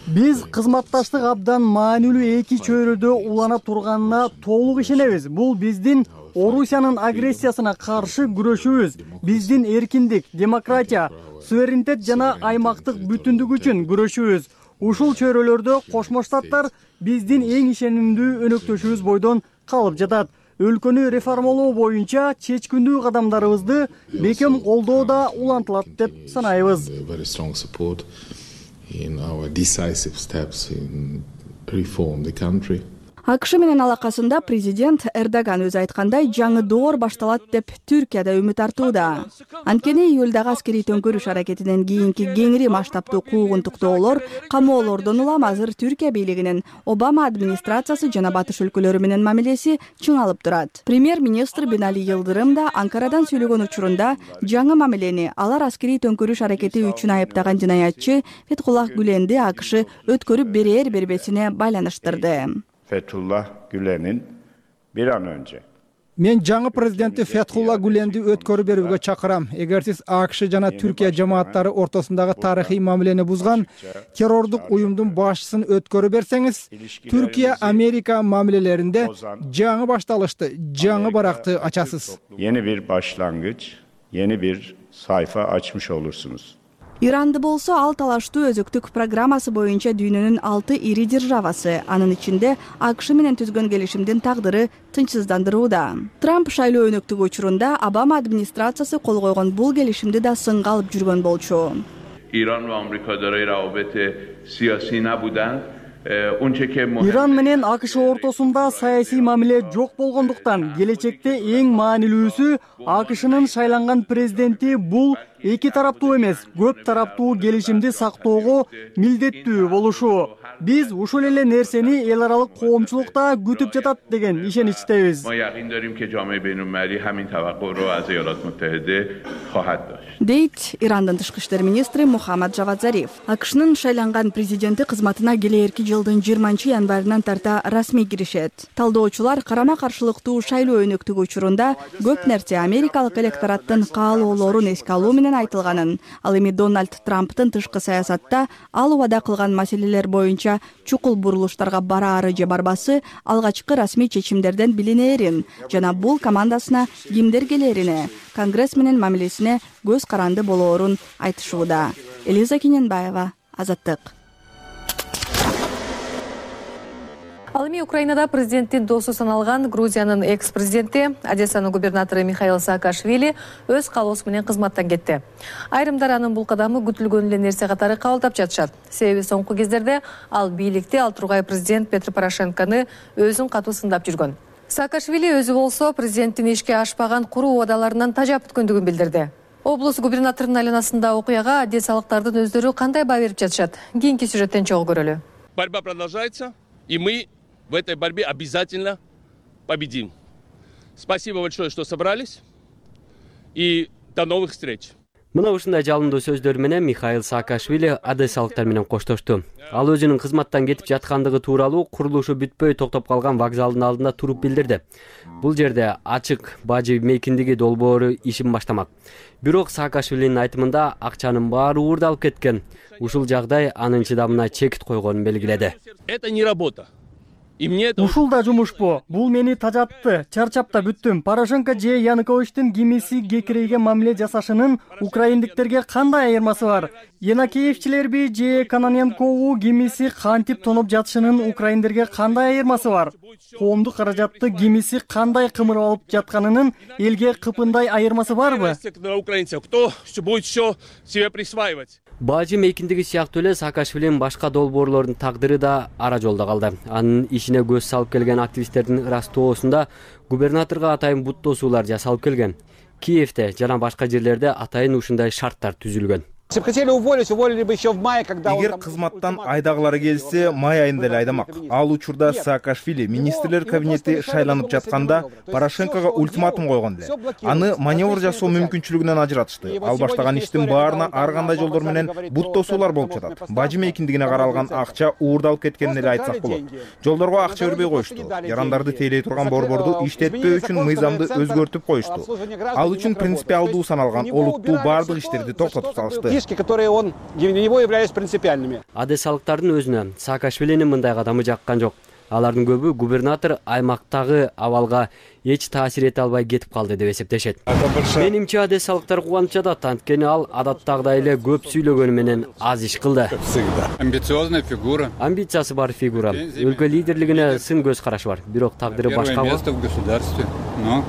Speaker 23: биз кызматташтык абдан маанилүү эки чөйрөдө улана турганына толук ишенебиз. Бул биздин Орусиянын агрессиясына каршы күрөшүүбүз, биздин эркиндик, демократия, суверенитет жана аймактык бүтүндүк үчүн күрөшүүбүз. Ушул чөйрөлөрдө Кошмо Штаттар биздин эң ишенимдүү өнөктөшүбүз бойдон калып жатат. Өлкөнү реформалоо боюнча чечкиндүү кадамдарыбызды бекем колдоо да улантылат деп санайбыз.
Speaker 9: АКШ менен алакасында президент Эрдоган өзү айткандай жаңы доор башталат деп Түркияда үмүт артууда. Анткени июлдагы аскерий төңкөрүш аракетинен кийинки кеңири масштабтуу куугунтуктоолор, камоолордон улам азыр Түркия бийлигинин Обама администрациясы жана батыш өлкөлөрү менен мамилеси чыңалып турат. Премьер-министр Бинали Йылдырым да Анкарадан сүйлөгөн учурунда жаңы мамилени алар аскерий төңкөрүш аракети үчүн айыптаган жинаятчы Фетхуллах Гүленди АКШ өткөрүп бербесине байланыштырды.
Speaker 3: Fethullah Gülen'in bir an önce
Speaker 21: Мен жаңы президенти Фетхулла Гүленди өткөрүп берүүгө чакырам. Эгер сиз АКШ жана Түркия жамааттары ортосундагы тарыхый мамилени бузган террордук уюмдун башчысын өткөрүп берсеңиз, Түркия Америка мамилелеринде жаңы башталышты, жаңы баракты ачасыз.
Speaker 3: Yeni bir başlangıç, yeni bir sayfa açmış olursunuz.
Speaker 9: Иранды болсо ал талаштуу өзөктүк программасы боюнча дүйнөнүн 6 ири державасы, анын ичинде АКШ менен түзгөн келишимдин тагдыры тынчсыздандырууда. Трамп шайлоо өнөктүгү учурунда Обама администрациясы кол койгон бул келишимди да сынга алып жүргөн болчу.
Speaker 5: İran ve Amerika daray rabıte siyasi nabudan
Speaker 23: Иран менен АКШ ортосунда саясий мамиле жок болгондуктан келечекте эң маанилүүсү АКШнын шайланган президенти бул эки тараптуу эмес, көп тараптуу келишимди сактоого милдеттүү болушу. Биз ушул эле нерсени эл аралык коомчулукта күтүп жатат деген ишеничтебиз.
Speaker 9: Дейт Ирандын тышкы иштер министри Мухаммад Джавад Зариф. АКШнын шайланган президенти кызматына келээрки жылдын 20 январынан тарта расмий киришет. Талдоочулар карама-каршылыктуу шайлоо өнөктүгү учурунда көп нерсе америкалык электораттын каалоолорун эске алуу менен айтылганын, ал эми Дональд Трамптын тышкы саясатта ал убада кылган маселелер боюнча чукул бурулуштарга бараары же барбасы алгачкы расмий чечимдерден билинээрин жана бул командасына кимдер келерине, Конгресс менен мамилесине көз каранды болоорун айтышууда. Элиза Кененбаева, Азаттык.
Speaker 2: Ал эми Украинада президенттин досу саналган Грузиянын экс-президенти, Одессанын губернатору Михаил Саакашвили өз каалоосу менен кызматтан кетти. Айрымдар анын бул кадамы күтүлгөн эле нерсе катары кабылдап жатышат. Себеби соңку кездерде ал бийликти ал тургай президент Петро Порошенкону өзүн катуу сындап жүргөн. Саакашвили өзү болсо президенттин ишке ашпаган куруу убадаларынан тажап өткөндүгүн билдирди. Облус губернаторунун айланасында окуяга одессалыктардын өздөрү кандай баа берип жатышат? Кийинки сюжеттен чогуу көрөлү.
Speaker 6: Борьба продолжается, и мы в этой борьбе обязательно победим. Спасибо большое, что собрались, и до новых встреч.
Speaker 8: Мына ушундай жалындуу сөздөр менен Михаил Саакашвили одессалыктар менен коштошту. Ал өзүнүн кызматтан кетип жаткандыгы тууралуу курулушу бүтпөй токтоп калган вокзалдын алдында туруп билдирди. Бул жерде ачык бажы мейкиндиги долбоору ишин баштамак. Бирок Саакашвилинин айтымында акчанын баары уурдалып кеткен. Ушул жагдай анын чыдамына чекит койгонун белгиледи.
Speaker 6: Это не работа.
Speaker 23: Ушул да жумушпу. Бул мени тажатты. Чарчап да бүттүм. Порошенко же Януковичтин кимиси кекирейге мамиле жасашынын украиндиктерге кандай айырмасы бар? Янакиевчилерби же Кононенкову кимиси кантип тоноп жатышынын украиндерге кандай айырмасы бар? Коомдук каражатты кимиси кандай кымырып алып жатканынын элге кыпындай айырмасы барбы?
Speaker 6: Украинцев, кто будет все себе присваивать?
Speaker 8: Бажы мейкиндиги сыяктуу эле Саакашвилинин башка долбоорлордун тагдыры да ара жолдо калды. Анын ишине көз салып келген активисттердин ырастоосунда губернаторго атайын бут тосуулар жасалып келген. Киевде жана башка жерлерде атайын ушундай шарттар түзүлгөн.
Speaker 10: Эгер кызматтан айдагылары келсе, май айында эле айдамак. Ал учурда Саакашвили министрлер кабинети шайланып жатканда Порошенкого ультиматум койгон эле. Аны маневр жасоо мүмкүнчүлүгүнөн ажыратышты. Ал баштаган иштин баарына ар кандай жолдор менен бут тосуулар болуп жатат. Бажы мейкиндигине каралган акча уурдалып кеткенин эле айтсак болот. Жолдорго акча бербей коюшту. Ярандарды тейлей турган борборду иштетпөө үчүн мыйзамды өзгөртүп коюшту. Ал үчүн принципиалдуу саналган олуттуу бардык иштерди токтотуп салышты.
Speaker 12: Которые он для него являлись принципиальными.
Speaker 8: Одессалыктардын өзүнө Саакашвилинин мындай кадамы жаккан жок. Алардын көбү губернатор аймактагы абалга эч таасир эте албай кетип калды деп эсептешет. Менимче одессалыктар кубанып жатат, анткени ал адаттагыдай эле көп сүйлөгөнү менен аз иш кылды.
Speaker 12: Амбициозная фигура.
Speaker 8: Амбициясы бар фигура. Өлкө лидерлигине сын көз карашы бар. Бирок тагдыры башка.
Speaker 12: Место в государстве. Но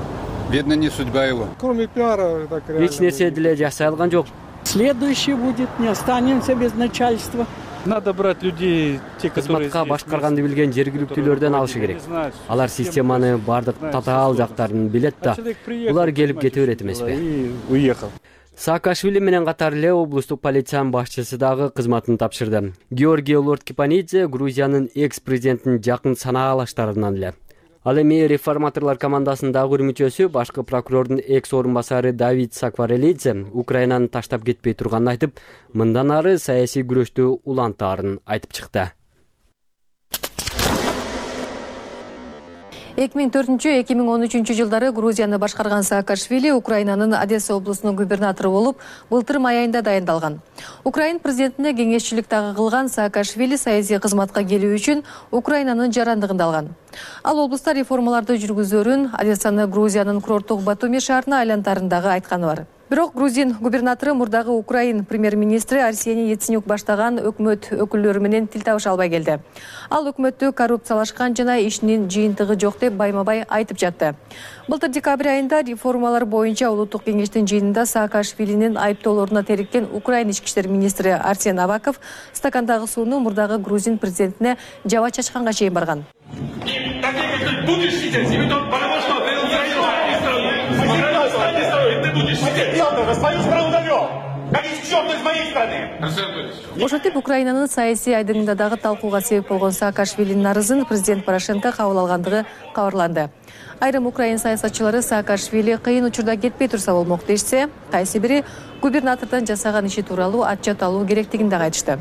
Speaker 12: видно, не судьба его.
Speaker 10: Кроме пиара, так реально.
Speaker 8: Эч нерсе деле жасай алган жок.
Speaker 13: Следующий будет, не останемся без начальства.
Speaker 10: Надо брать людей, те, которые
Speaker 8: кызматка башкарганды билген жергиликтүүлөрдөн алышы керек. Алар системаны бардык татаал жактарын билет да. Булар келип кете берет эмеспи?
Speaker 10: Уехал.
Speaker 8: Саакашвили менен катар эле облустук полициянын башчысы дагы кызматын тапшырды. Георгий Лорд-Кипанидзе Грузиянын экс-президентинин жакын санаалаштарынан эле. Ал эми реформаторлор командасындагы мүчөсү башкы прокурордун экс орун басары Давид Сакварелидзе Украинаны таштап кетпей турганын айтып, мындан ары саясий күрөштү улантаарын айтып чыкты.
Speaker 2: 2004-2013 жылдары Грузияны башкарган Саакашвили Украинанын Одесса облусунун губернатору болуп, былтыр май айында дайындалган. Украин президентине кеңешчилик дагы кылган Саакашвили саясий кызматка келүү үчүн Украинанын жарандыгын алган. Ал облуста реформаларды жүргүзөрүн Одессаны Грузиянын курорттук Батуми шаарына айлантарындагы айтканы бар. Бирок Грузин губернатору мурдагы Украин премьер-министри Арсений Яценюк баштаган өкмөт өкүлдөрү менен тил табыша албай келди. Ал өкмөттү коррупциялашкан жана ишинин жыйынтыгы жок деп байма-бай айтып жатты. Былтыр декабрь айында реформалар боюнча улуттук кеңештин жыйынында Саакашвилинин айыптоолоруна териккен Украин ички иштер министри Арсен Аваков стакандагы сууну мурдагы грузин президентине жаба чачканга чейин барган. Ошентип Украинанын саясий айдыңында дагы талкууга себеп болгон Саакашвилинин арызын президент Порошенко кабыл алгандыгы кабарланды. Айрым украин саясатчылары Саакашвили кыйын учурда кетпей турса болмок дешсе, кайсы бири губернатордон жасаган иши тууралуу отчет алуу керектигин да айтышты.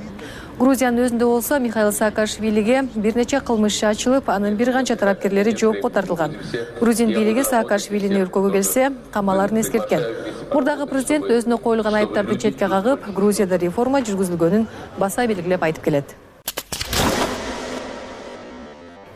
Speaker 2: Грузиянын өзүндө болсо Михаил Саакашвилиге бир нече кылмыш ачылып, анын бир канча тарапкерлери жоопко тартылган. Грузин бийлиги Саакашвилини өлкөгө келсе, камаларын эскерткен. Мурдагы президент өзүнө коюлган айыптарды четке кагып, Грузияда реформа жүргүзүлгөнүн баса белгилеп айтып келет.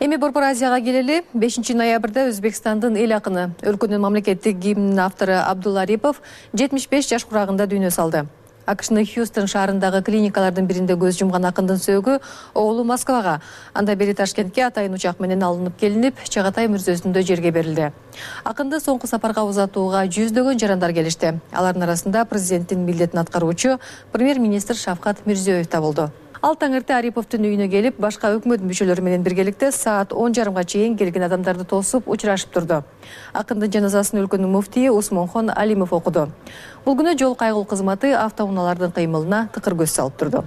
Speaker 2: Эми Борбор Азияга келели. 5 ноябрда Өзбекстандын эл акыны, өлкөнүн мамлекеттик гимнинин автору Абдулла Арипов 75 жаш курагында дүйнө салды. АКШнын Хьюстон шаарындагы клиникалардын биринде көз жумган акындын сөөгү оолу Москвага, анда бери Ташкентке атайын учак менен алынып келинип, Чагатай мүрзөсүндө жерге берилди. Акынды соңку сапарга узатууга жүздөгөн жарандар келишти. Алардын арасында президенттин милдетин аткаруучу премьер-министр Шавкат Мирзиёев да болду. Ал таңырты Ариповдун үйүнө келип, башка өкмөт мүчөлөрү менен биргеликте саат 10:30 чейин келген адамдарды тосуп учурашып турду. Акындын жаназасын өлкөнүн муфтийи Усмонхон Алимов окуду. Бул күнү жол кайгыл кызматы автоунаалардын кыймылына тыкыр көз салып турду.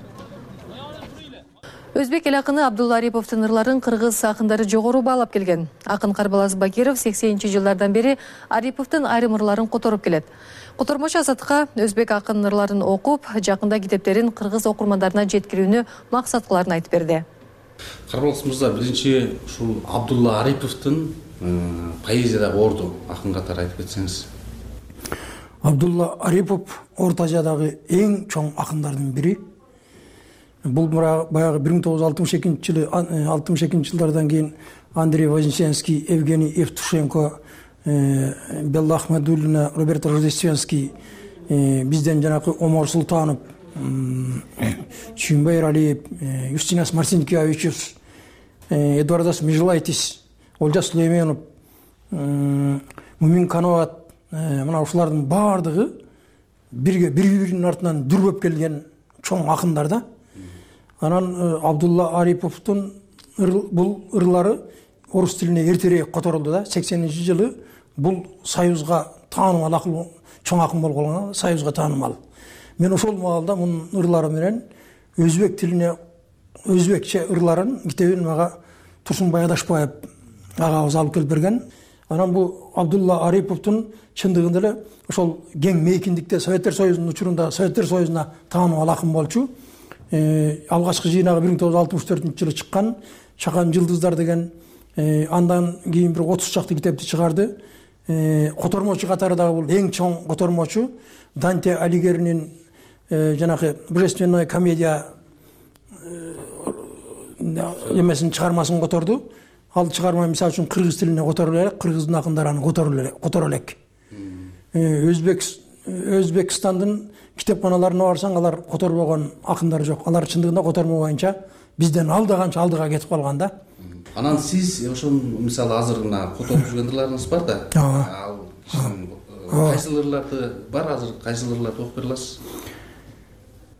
Speaker 2: Өзбек эл акыны Абдулла Ариповдун ырларын кыргыз акындары жогору баалап келген. Акын Карбалас Бакиров 80-жылдардан бери Ариповдун айрым ырларын которуп келет. Котормочу Азаттыкка өзбек акынын ырларын окуп, жакында китептерин кыргыз окурмандарына жеткирүүнү максат кыларын айтып берди.
Speaker 24: Карбалас мырза, биринчи ушул Абдулла Ариповдун поэзиядагы орду акын катары айтып кетсеңиз.
Speaker 25: Абдулла Арипов Орто Азиядагы эң чоң акындардын бири. Бул баягы 1962 жылдардан кийин Андрей Вознесенский, Евгений Евтушенко, Белла Ахмадуллина, Роберто Рождественский, бизден жанакы Омар Султанов, Чүйүнбай Эралиев, Юстинас Марцинкевичус, Эдуардас Межелайтис, Олжас Сулейменов, Мумин Кановат, мына ушулардын баардыгы бири-биринин артынан дүрбөп келген чоң акындар да. Анан Абдулла Ариповдун бул ырлары орус тилине эртерээк которулду да. 80-жылы бул Союзга таанымал акыл, чоң акын болгон, Союзга таанымал. Мен ошол маалда мунун ырлары менен өзбек тилине өзбекче ырларын китебин мага Турсунбай Адашбаев агабыз алып келип берген. Анан бул Абдулла Ариповдун чындыгында эле ошол кең мейкиндикте Советтер Союзунун учурунда Советтер Союзуна таанымал акын болчу. Алгачкы жыйнагы 1964-жылы чыккан Чакан жылдыздар деген, андан кийин бир 30 чакты китепти чыгарды. Котормочу катары дагы бул эң чоң котормочу. Данте Алигеринин жанагы Божественная комедия эмесин чыгармасын которду. Ал чыгарма мисалы үчүн кыргыз тилине которулуп элек, кыргыздын акындары аны которо элек. Өзбекстандын китепканаларына барсаң, алар которбогон акындар жок. Алар чындыгында котормо боюнча бизден алда канча алдыга кетип калган да.
Speaker 24: Анан сиз ошол мисалы азыр мына которуп жүргөн ырларыңыз бар да. Ал кайсыл ырларды бар азыр, кайсыл ырларды окуп бере аласыз?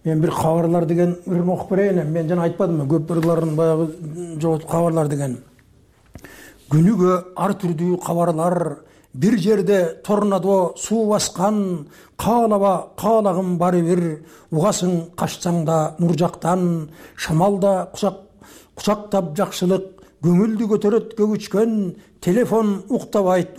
Speaker 25: Мен бир кабарлар деген ырын окуп берейин. Мен жана айтпадымбы, көп ырларын баягы жоготуп кабарлар деген. Күнүгө ар түрдүү кабарлар, бир жерде торнадо суу баскан, каалагым баары бир, угасың качсаң да нур жактан, шамалда кучактап жакшылык, көңүлдү көтөрөт көгүчкөн, телефон уктабайт,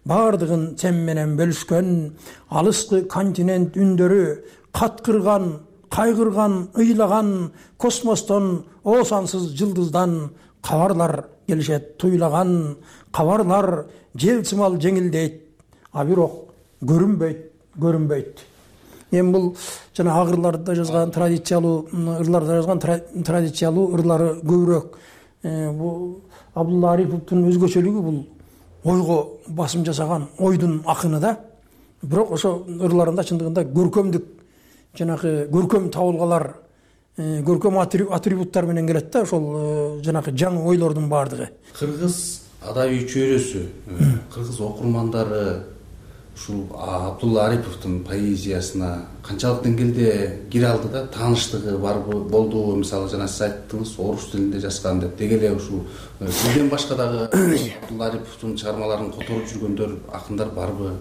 Speaker 25: баардыгын сен менен бөлүшкөн, алыскы континент үндөрү, каткырган, кайгырган, ыйлаган, космостон, оосансыз жылдыздан, кабарлар келишет туйлаган, кабарлар желсымал жеңилдейт, а бирок көрүнбөйт. Эми бул жана агырларда жазган традициялуу ырларда жазган традициялуу ырлары көбүрөөк. Бул Абдулла Ариповдун өзгөчөлүгү бул ойго басым жасаган ойдун акыны да. Бирок ошо ырларында чындыгында көркөмдүк, жанагы көркөм табылгалар, көркөм атрибуттар менен келет да, ошол жанагы жаңы ойлордун баардыгы.
Speaker 24: Кыргыз адабий чөйрөсү, кыргыз окурмандары ушул Абдулла Ариповдун поэзиясына канчалык деңгээлде кире алды да, тааныштыгы барбы, болдубу? Мисалы жана сиз айттыңыз, орус тилинде жазган деп. Деги эле ушул сизден башка дагы Абдулла Ариповдун чыгармаларын которуп жүргөндөр, акындар барбы?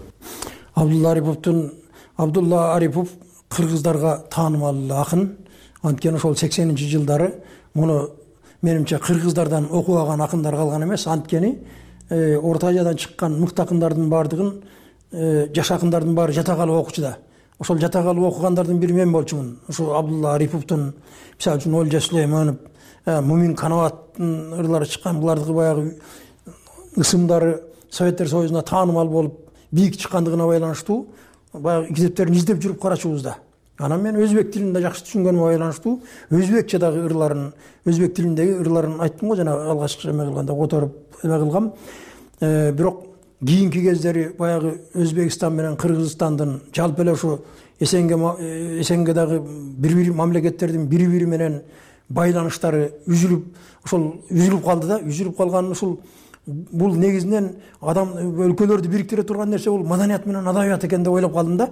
Speaker 25: Абдулла Арипов кыргыздарга таанымал акын. Анткени ошол 80-жылдары муну менимче кыргыздардан окубаган акындар калган эмес. Анткени Орто Азиядан чыккан мыкты акындардын баардыгын жаш акындардын баары жатак алып окучу да. Ошол жатак алып окугандардын бири мен болчумун. Ошо Абдулла Ариповдун, мисалы үчүн Олжа Сулейманов, Мумин Канабаттын ырлары чыккан, булардын баягы ысымдары Советтер Союзуна таанымал болуп бийик чыккандыгына байланыштуу баягы китептерин издеп жүрүп карачубуз да. Анан мен өзбек тилинде жакшы түшүнгөнүмө байланыштуу өзбекче дагы ырларын, өзбек тилиндеги ырларын айттым го, жана алгачкы эме кылганда которуп эме кылгам. Бирок кийинки кездери баягы Өзбекстан менен Кыргызстандын жалпы эле ушу эсенге дагы бири-бири мамлекеттердин бири-бири менен байланыштары үзүлүп калды да. Үзүлүп калган ушул бул негизинен адам өлкөлөрдү бириктире турган нерсе бул маданият менен адабият экен деп ойлоп калдым да.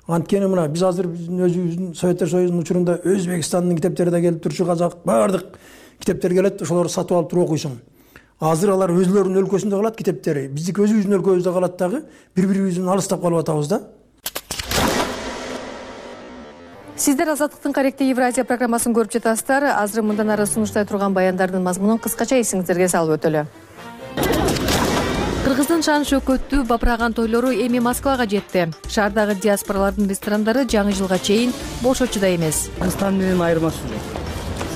Speaker 25: Анткени мына биз азыр биздин өзүбүздүн Советтер Союзунун учурунда Өзбекстандын китептери да келип турчу, казак баардык китептер келет, ошолорду сатып алып туруп окуйсуң. Азыр алар өзлөрүнүн өлкөсүндө калат китептери, биздики өзүбүздүн өлкөбүздө калат дагы, бири-бирибизден алыстап калып атабыз да.
Speaker 2: Сиздер Азаттыктын Каректи Евразия программасын көрүп жатасыздар. Азыр мындан ары сунуштай турган баяндардын мазмунун кыскача эсиңиздерге салып өтөлү. Кыргыздын шан шөкөттүү бапыраган тойлору эми Москвага жетти. Шаардагы диаспоралардын ресторандары жаңы жылга чейин бош очууда эмес.
Speaker 4: Кыргызстан менен айырмасы жок.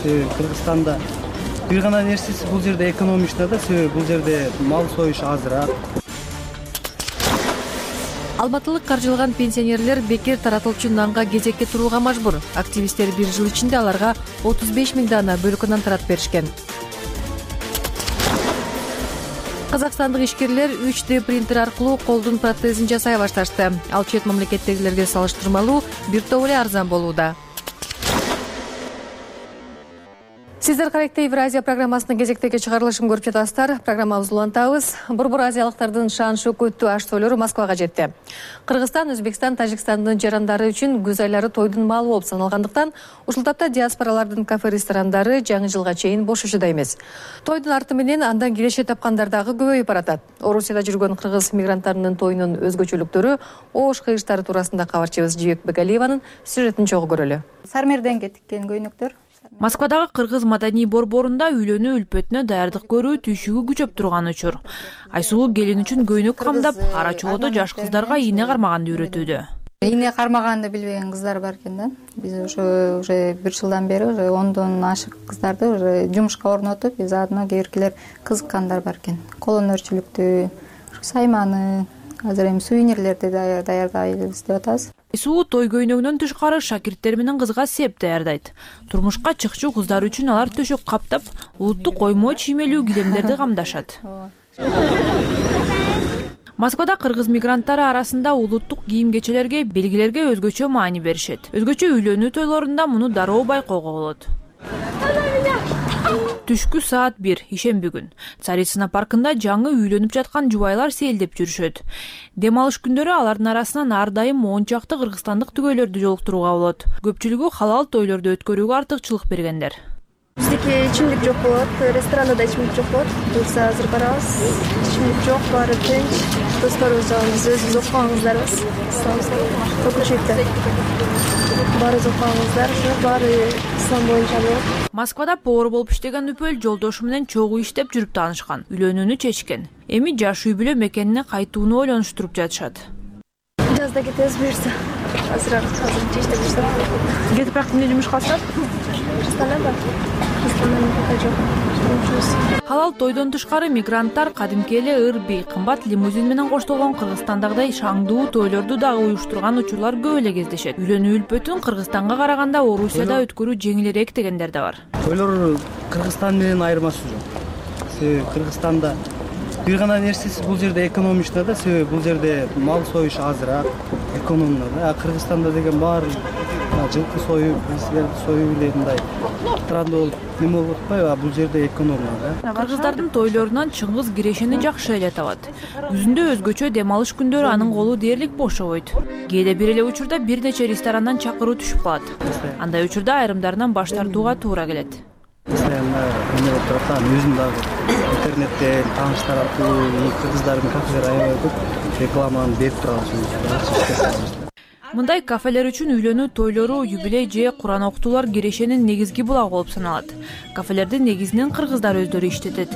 Speaker 4: Себеби Кыргызстанда бир гана нерсеси бул жерде экономичный да, себеби бул жерде мал союш азыраак.
Speaker 2: Алматылык каржылган пенсионерлер бекер таратылчу нанга кезекке турууга мажбур. Активисттер бир жыл ичинде аларга 35 000 дана бөлкөнөн таратып беришкен. Казакстандык ишкерлер 3D принтер аркылуу колдун протезин жасай башташты. Ал чет мамлекеттегилерге салыштырмалуу бир топ эле арзан болууда. Сиздер каректе Евразия программасынын кезектеги чыгарылышын көрүп жатасыздар. Программабызды улантабыз. Борбор азиялыктардын шан шөкөттүү аш тойлору Москвага жетти. Кыргызстан, Өзбекстан, Тажикстандын жарандары үчүн күз айлары тойдун маалы болуп саналгандыктан, ушул тапта диаспоралардын кафе-ресторандары жаңы жылга чейин бош учуда эмес. Тойдун арты менен андан киреше тапкандар дагы көбөйүп баратат. Орусияда жүргөн кыргыз мигранттарынын тоюнун өзгөчөлүктөрү, оош кыйыштары туурасында кабарчыбыз Жибек Бегалиеванын сюжетин чогуу көрөлү.
Speaker 7: Сармерден тиккен көйнөктөр.
Speaker 1: Москвадагы кыргыз маданий борборунда үйлөнүү үлпөтүнө даярдык көрүү түйшүгү күчөп турган учур. Айсулуу келин үчүн көйнөк камдап, ара чолодо жаш кыздарга ийне кармаганды үйрөтүүдө.
Speaker 7: Ийне кармаганды билбеген кыздар бар экен да. Биз уже 1 жылдан бери 10дон ашык кыздарды уже жумушка орнотуп, заодно кээбиркилер кызыккандар бар экен. Кол өнөрчүлүктү, сайманы, азыр эми сувенирлерди даярдайбыз деп атабыз.
Speaker 1: Айсуу той көйнөгүнөн тышкары шакирттер менен кызга сеп даярдайт. Турмушка чыкчу кыздар үчүн алар төшөк каптап, улуттук оймо чиймелүү килемдерди камдашат. Москвада кыргыз мигранттары арасында улуттук кийим-кечелерге, белгилерге өзгөчө маани беришет. Өзгөчө үйлөнүү тойлорунда муну дароо байкоого болот. Түшкү саат 1 ишемби күн. Царицына паркында жаңы үйлөнүп жаткан жубайлар сейилдеп жүрүшөт. Дем алыш күндөрү алардын арасынан ар дайым 10 чакты кыргызстандык түгөйлөрдү жолуктурууга болот. Көпчүлүгү халал тойлорду өткөрүүгө артыкчылык бергендер.
Speaker 14: Биздики ичимдик жок болот, ресторанда да ичимдик жок болот. Буюрса азыр барабыз. Ичимдик жок, баары тынч. Досторубуз жагы биз өзүбүз окуган кыздарбыз. Көпчүлүктө баары окуган кыздар, баары ислам боюнча болот.
Speaker 1: Москвада повар болуп иштеген үпөл жолдошу менен чогуу иштеп жүрүп таанышкан. Үйлөнүүнү чечкен. Эми жаш үй бүлө мекенине кайтууну ойлонуштуруп жатышат.
Speaker 14: Жазда кетебиз буюрса. Азыр иштеп жүрсөм.
Speaker 1: Кетип бирок эмне жумуш кыласыздар? Халал тойдон тышкары мигранттар кадимки эле ырби, кымбат лимузин менен коштолгон Кыргызстандагыдай шаңдуу тойлорду дагы уюштурган учурлар көп эле кездешет. Үйлөнүү үлпөтүн Кыргызстанга караганда Орусияда өткөрүү жеңилирээк дегендер да бар.
Speaker 4: Тойлор Кыргызстан менен айырмасы жок. Себеби Кыргызстанда бир гана нерсеси бул жерде экономичный да, себеби бул жерде мал союш азыраак, экономно да. Кыргызстанда деген баары жылкы союп, силерди союп эле мындай трандо болуп неме болуп атпайбы, а бул жерде экономно да.
Speaker 1: Кыргыздардын тойлорунан чыңгыз кирешени жакшы эле табат. Күзүндө өзгөчө дем алыш күндөрү анын колу дээрлик бошобойт. Кээде бир эле учурда бир нече ресторандан чакыруу түшүп калат. Андай учурда айрымдарынан баш тартууга туура келет.
Speaker 4: Эме болуп турат, өзүм дагы интернеттен тааныштар аркылуу кыргыздардын кафелери аябай көп рекламаны берип турган.
Speaker 1: Мындай кафелер үчүн үйлөнүү тойлору, юбилей же Куран окутуулар кирешенин негизги булагы болуп саналат. Кафелерди негизинен кыргыздар өздөрү иштетет.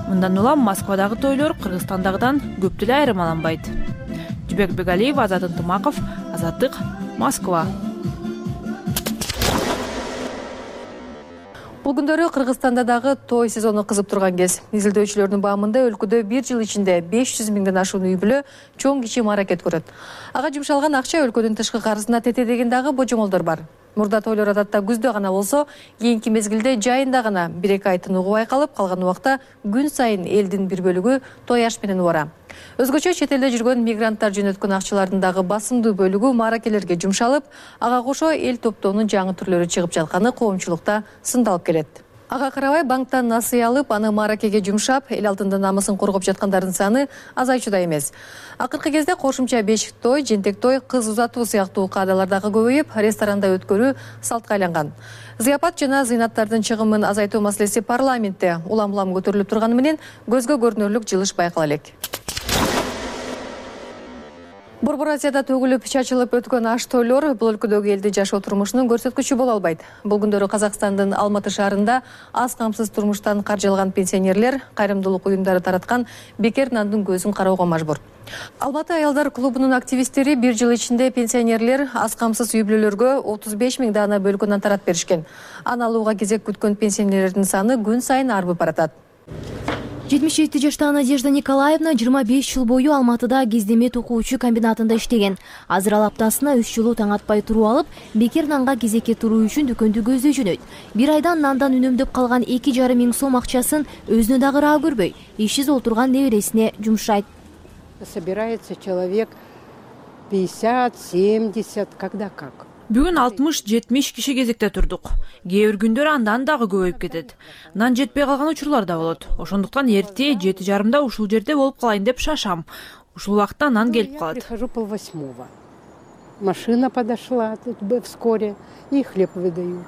Speaker 1: Мындан улам Москвадагы тойлор Кыргызстандагыдан көп деле айырмаланбайт. Жибек Бегалиев, Азат Ынтымаков, Азаттык, Москва.
Speaker 2: Бул күндөрү Кыргызстанда дагы той сезону кызып турган кез. Изилдөөчүлөрдүн баамында өлкөдө 1 жыл ичинде 500 миңден ашуун үй бүлө чоң кичи аракет көрөт. Ага жумшалган акча өлкөнүн тышкы карызына тете деген дагы божомолдор бар. Мурда тойлор адатта күздө гана болсо, кийинки мезгилде жайында гана 1-2 ай тыныгуу байкалып, калган убакта күн сайын элдин бир бөлүгү той аш менен убара. Өзгөчө чет элде жүргөн мигранттар жөнөткөн акчалардын дагы басымдуу бөлүгү мааракелерге жумшалып, ага кошо эл топтоонун жаңы түрлөрү чыгып жатканы коомчулукта сындалып келет. Ага карабай банктан насыя алып, аны мааракеге жумшап, эл алдында намысын коргоп жаткандардын саны азайчуда эмес. Акыркы кезде кошумча бешик той, жентек той, кыз узатуу сыяктуу каадалар дагы көбөйүп, ресторанда өткөрүү салтка айланган. Зыяпат жана зыйнаттардын чыгымын азайтуу маселеси парламентте улам-улам көтөрүлүп турганы менен көзгө көрүнөрлүк жылыш байкала элек. Борбор Азияда төгүлүп, чачылып өткөн аш тойлор бул өлкөдөгү элдин жашоо турмушунун көрсөткүчү боло албайт. Бул күндөрү Казакстандын Алматы шаарында аз камсыз турмуштан каржылган пенсионерлер кайрымдуулук уюмдары тараткан бекер нандын көзүн кароого мажбур. Алматы аялдар клубунун активисттери 1 жыл ичинде пенсионерлер аз камсыз үй бүлөлөргө 35 миң даана бөлкө нан таратып беришкен. Аны алууга кезек күткөн пенсионерлердин саны күн сайын арбып баратат.
Speaker 15: 77 жаштагы Надежда Николаевна 25 жыл бою Алматыда кездеме токуучу комбинатында иштеген. Азыр ал аптасына 3 жолу таң атпай туруп алып, бекер нанга кезекке туруу үчүн дүкөндү көздөй жөнөйт. Бир айдан нандан үнөмдөп калган 2,5 миң сом акчасын өзүнө дагы ыраа көрбөй, ишсиз отурган небересине жумшайт.
Speaker 13: Собирается человек 50, 70, когда как.
Speaker 16: Бүгүн 60-70 киши кезекте турдук. Кээ бир күндөр андан дагы көбөйүп кетет. Нан жетпей калган учурлар да болот. Ошондуктан эрте 7:30 ушул жерде болуп калайын деп шашам. Ушул убакта нан келип калат.
Speaker 13: Прихожу 7:30. Машина подошла вскоре и хлеб выдают.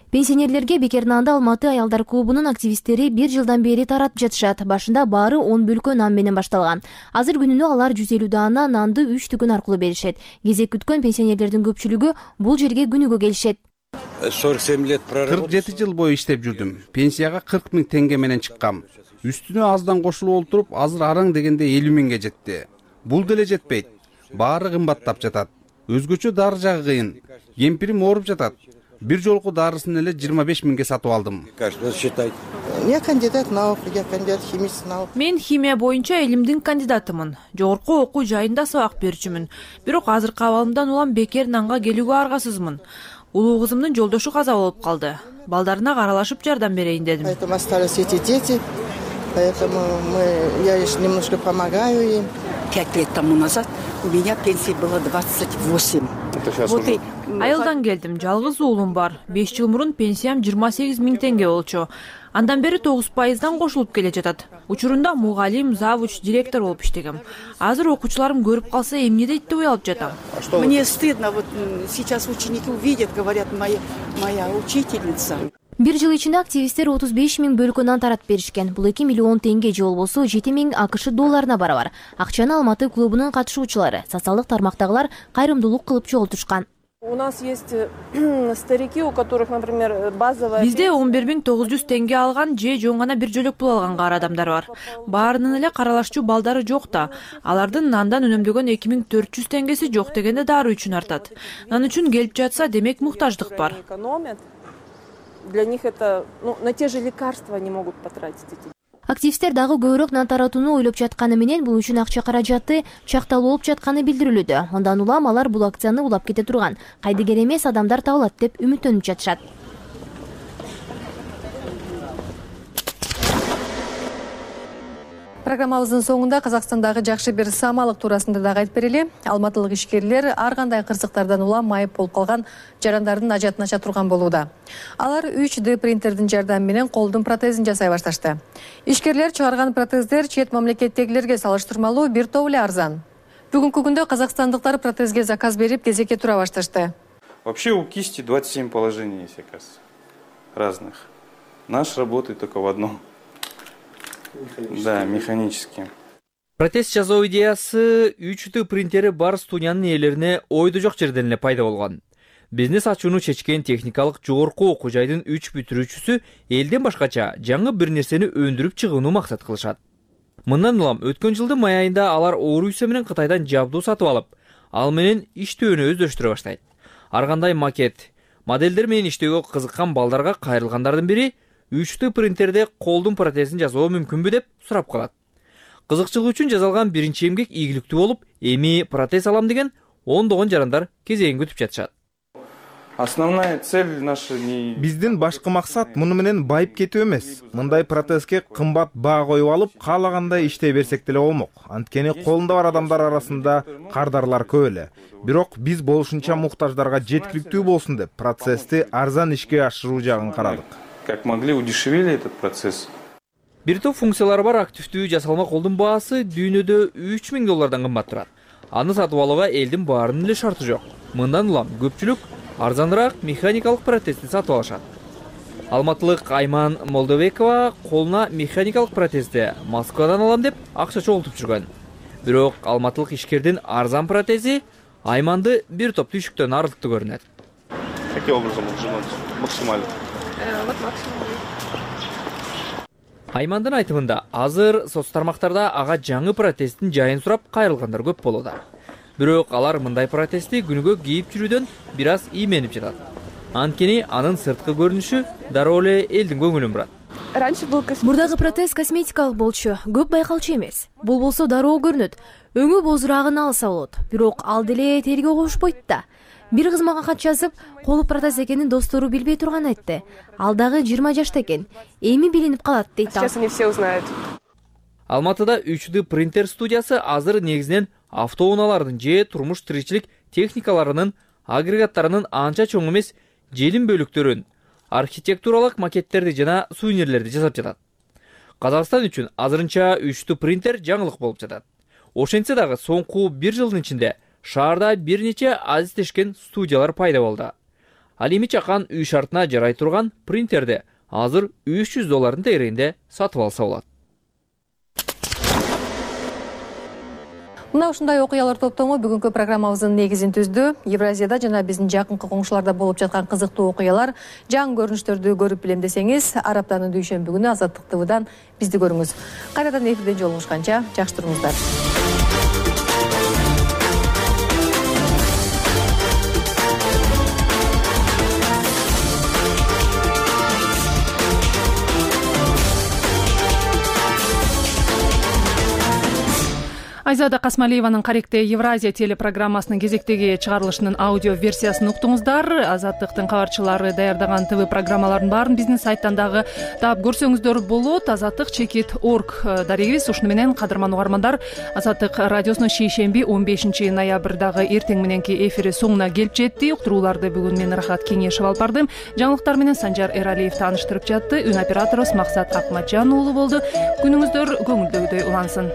Speaker 15: Пенсионерлерге бекер нанды Алматы аялдар клубунун активисттери 1 жылдан бери таратып жатышат. Башында баары 10 бөлкө нан менен башталган. Азыр күнүнө алар 150 даана нанды 3 түгүн аркылуу беришет. Кезек күткөн пенсионерлердин көпчүлүгү бул жерге күнүгө келишет.
Speaker 24: 47 жыл бою иштеп жүрдүм. Пенсияга 40 000 теңге менен чыккам. Үстүнө аздан кошулуп олтуруп, азыр араң дегенде 50 000ге жетти. Бул деле жетпейт. Баары кымбаттап жатат. Өзгөчө дары жагы кыйын. Кемпирим ооруп жатат. Бир жолку дарысын эле 25 000ге сатып алдым.
Speaker 17: Я кандидат наук, я кандидат химист наук.
Speaker 16: Мен химия боюнча элимдин кандидатымын. Жогорку окуу жайында сабак берүүчүмүн. Бирок азыркы абалымдан улам бекер нанга келүүгө аргасызмын. Улуу кызымдын жолдошу каза болуп калды. Балдарына каралашып жардам берейин дедим.
Speaker 17: Поэтому остались эти дети, поэтому я лишь немножко помогаю им.
Speaker 13: 5 лет тому назад у меня пенсия была 28.
Speaker 16: Айылдан келдим, жалгыз уулум бар. 5 жыл мурун пенсиям 28 000 теңге болчу. Андан бери 9%дан кошулуп келе жатат. Учурунда мугалим, завуч, директор болуп иштегем. Азыр окуучуларым көрүп калса эмне дейт деп уялып жатам.
Speaker 13: Мне стыдно, вот сейчас ученики увидят, говорят, моя учительница.
Speaker 15: Бир жыл ичинде активисттер 35 000 бөлкө нан таратып беришкен. Бул 2 миллион теңге же болбосо 7 000 АКШ долларына барабар. Акчаны Алматы клубунун катышуучулары, социалдык тармактагылар кайрымдуулук кылып чогултушкан.
Speaker 18: У нас есть старики, у которых, например, базовая...
Speaker 16: Бизде 11 900 теңге алган же жөн гана бир жөлөк пул алган кара адамдар бар. Баарынын эле каралашчу балдары жок да. Алардын нандан үнөмдөгөн 2400 теңгеси жок дегенде дары үчүн артат. Нан үчүн келип жатса, демек муктаждык бар.
Speaker 18: Для них это, на те же лекарства они могут потратить эти.
Speaker 15: Активисттер дагы көбүрөөк нан таратууну ойлоп жатканы менен бул үчүн акча каражаты чакталуу болуп жатканы билдирилүүдө. Андан улам алар бул акцияны улап кете турган, кайдыгер эмес адамдар табылат деп үмүттөнүп жатышат.
Speaker 2: Программабыздын соңунда Казакстандагы жакшы бир самалык туурасында дагы айтып берели. Алматылык ишкерлер ар кандай кырсыктардан улам майып болуп калган жарандардын ажатын ача турган болууда. Алар 3D принтердин жардамы менен колдун протезин жасай башташты. Ишкерлер чыгарган протездер чет мамлекеттегилерге салыштырмалуу бир топ эле арзан. Бүгүнкү күндө казакстандыктар протезге заказ берип кезекке тура башташты.
Speaker 19: Вообще у кисти 27 положений есть, оказывается, разных. Наш работает только в одном. Да, механически.
Speaker 20: Протез жасоо идеясы 3D принтери бар студиянын ээлерине ойдо жок жерден эле пайда болгон. Бизнес ачууну чечкен техникалык жогорку окуу жайдын 3 бүтүрүүчүсү элден башкача жаңы бир нерсени өндүрүп чыгууну максат кылышат. Мындан улам өткөн жылдын май айында алар Орусия менен Кытайдан жабдуу сатып алып, ал менен иштөөнү өздөштүрө баштайт. Ар кандай макет, модельдер менен иштөөгө кызыккан балдарга кайрылгандардын бири 3D принтерде колдун протезин жасоо мүмкүнбү деп сурап калат. Кызыкчылык үчүн жасалган биринчи эмгек ийгиликтүү болуп, эми протез алам деген ондогон жарандар кезегин күтүп жатышат.
Speaker 19: Основная цель наша не...
Speaker 10: Биздин башкы максат муну менен байып кетүү эмес. Мындай протезге кымбат баа коюп алып, каалагандай иштей берсек деле болмок. Анткени колунда бар адамдар арасында кардарлар көп эле. Бирок биз болушунча муктаждарга жеткиликтүү болсун деп процессти арзан ишке ашыруу жагын карадык.
Speaker 19: Как могли, удешевили этот процесс.
Speaker 20: Бир топ функциялары бар активдүү жасалма колдун баасы дүйнөдө 3000 доллардан кымбат турат. Аны сатып алууга элдин баарынын эле шарты жок. Мындан улам көпчүлүк арзаныраак механикалык протезди сатып алышат. Алматылык Айман Молдобекова колуна механикалык протезди Москвадан алам деп акча чогултуп жүргөн. Бирок алматылык ишкердин арзан протези Айманды бир топ түйшүктөн арылтты көрүнөт.
Speaker 19: Каким образом максимально?
Speaker 18: Вот максимум.
Speaker 20: Аймандын айтымында азыр соц тармактарда ага жаңы протездин жайын сурап кайрылгандар көп болууда. Бирок алар мындай протезди күнүгө кийип жүрүүдөн бир аз ийменип жатат. Анткени анын сырткы көрүнүшү дароо эле элдин көңүлүн бурат.
Speaker 15: Мурдагы протез косметикалык болчу, көп байкалчу эмес. Бул болсо дароо көрүнөт. Өңү бозураагын алса болот. Бирок ал деле терге кошпойт да. Бир кыз мага кат жазып, колу протез экенин достору билбей турган айтты. Ал дагы 20 жашта экен. Эми билинип калат дейт.
Speaker 18: Сейчас они все узнают.
Speaker 20: Алматыда 3D принтер студиясы азыр негизинен автоунаалардын же турмуш тиричилик техникаларынын агрегаттарынын анча чоң эмес желим бөлүктөрүн, архитектуралык макеттерди жана сувенирлерди жасап жатат. Казакстан үчүн азырынча 3D принтер жаңылык болуп жатат. Ошентсе дагы соңку 1 жылдын ичинде шаарда бир нече азиздешкен студиялар пайда болду. Ал эми чакан үй шартына жарай турган принтерди азыр $300 тегерегинде сатып алса болот.
Speaker 2: Мына ушундай окуялар топтому бүгүнкү программабыздын негизин түздү. Евразияда жана биздин жакынкы коңшуларда болуп жаткан кызыктуу окуялар, жаңы көрүнүштөрдү көрүп билем десеңиз, ар аптанын дүйшөмбү күнү Азаттык ТВдан бизди көрүңүз. Кайрадан эфирден жолугушканча жакшы туруңуздар.
Speaker 1: Айзада Касмалиеванын Каректе Евразия телепрограммасынын кезектеги чыгарылышынын аудио версиясын уктуңуздар. Азаттыктын кабарчылары даярдаган ТВ программалардын баарын биздин сайттан дагы таап көрсөңүздөр болот. Azattik.org дарегибиз. Ушуну менен кадырман угармандар, Азаттык радиосунун шейшемби 15 ноябрдагы эртең мененки эфири соңуна келип жетти. Уктурууларды бүгүн мен Рахат Кеңешев алып бардым. Жаңылыктар менен Санжар Эралиев тааныштырып жатты. Үн операторубуз Максат Акматжан уулу болду. Күнүңүздөр көңүлдөгүдөй улансын.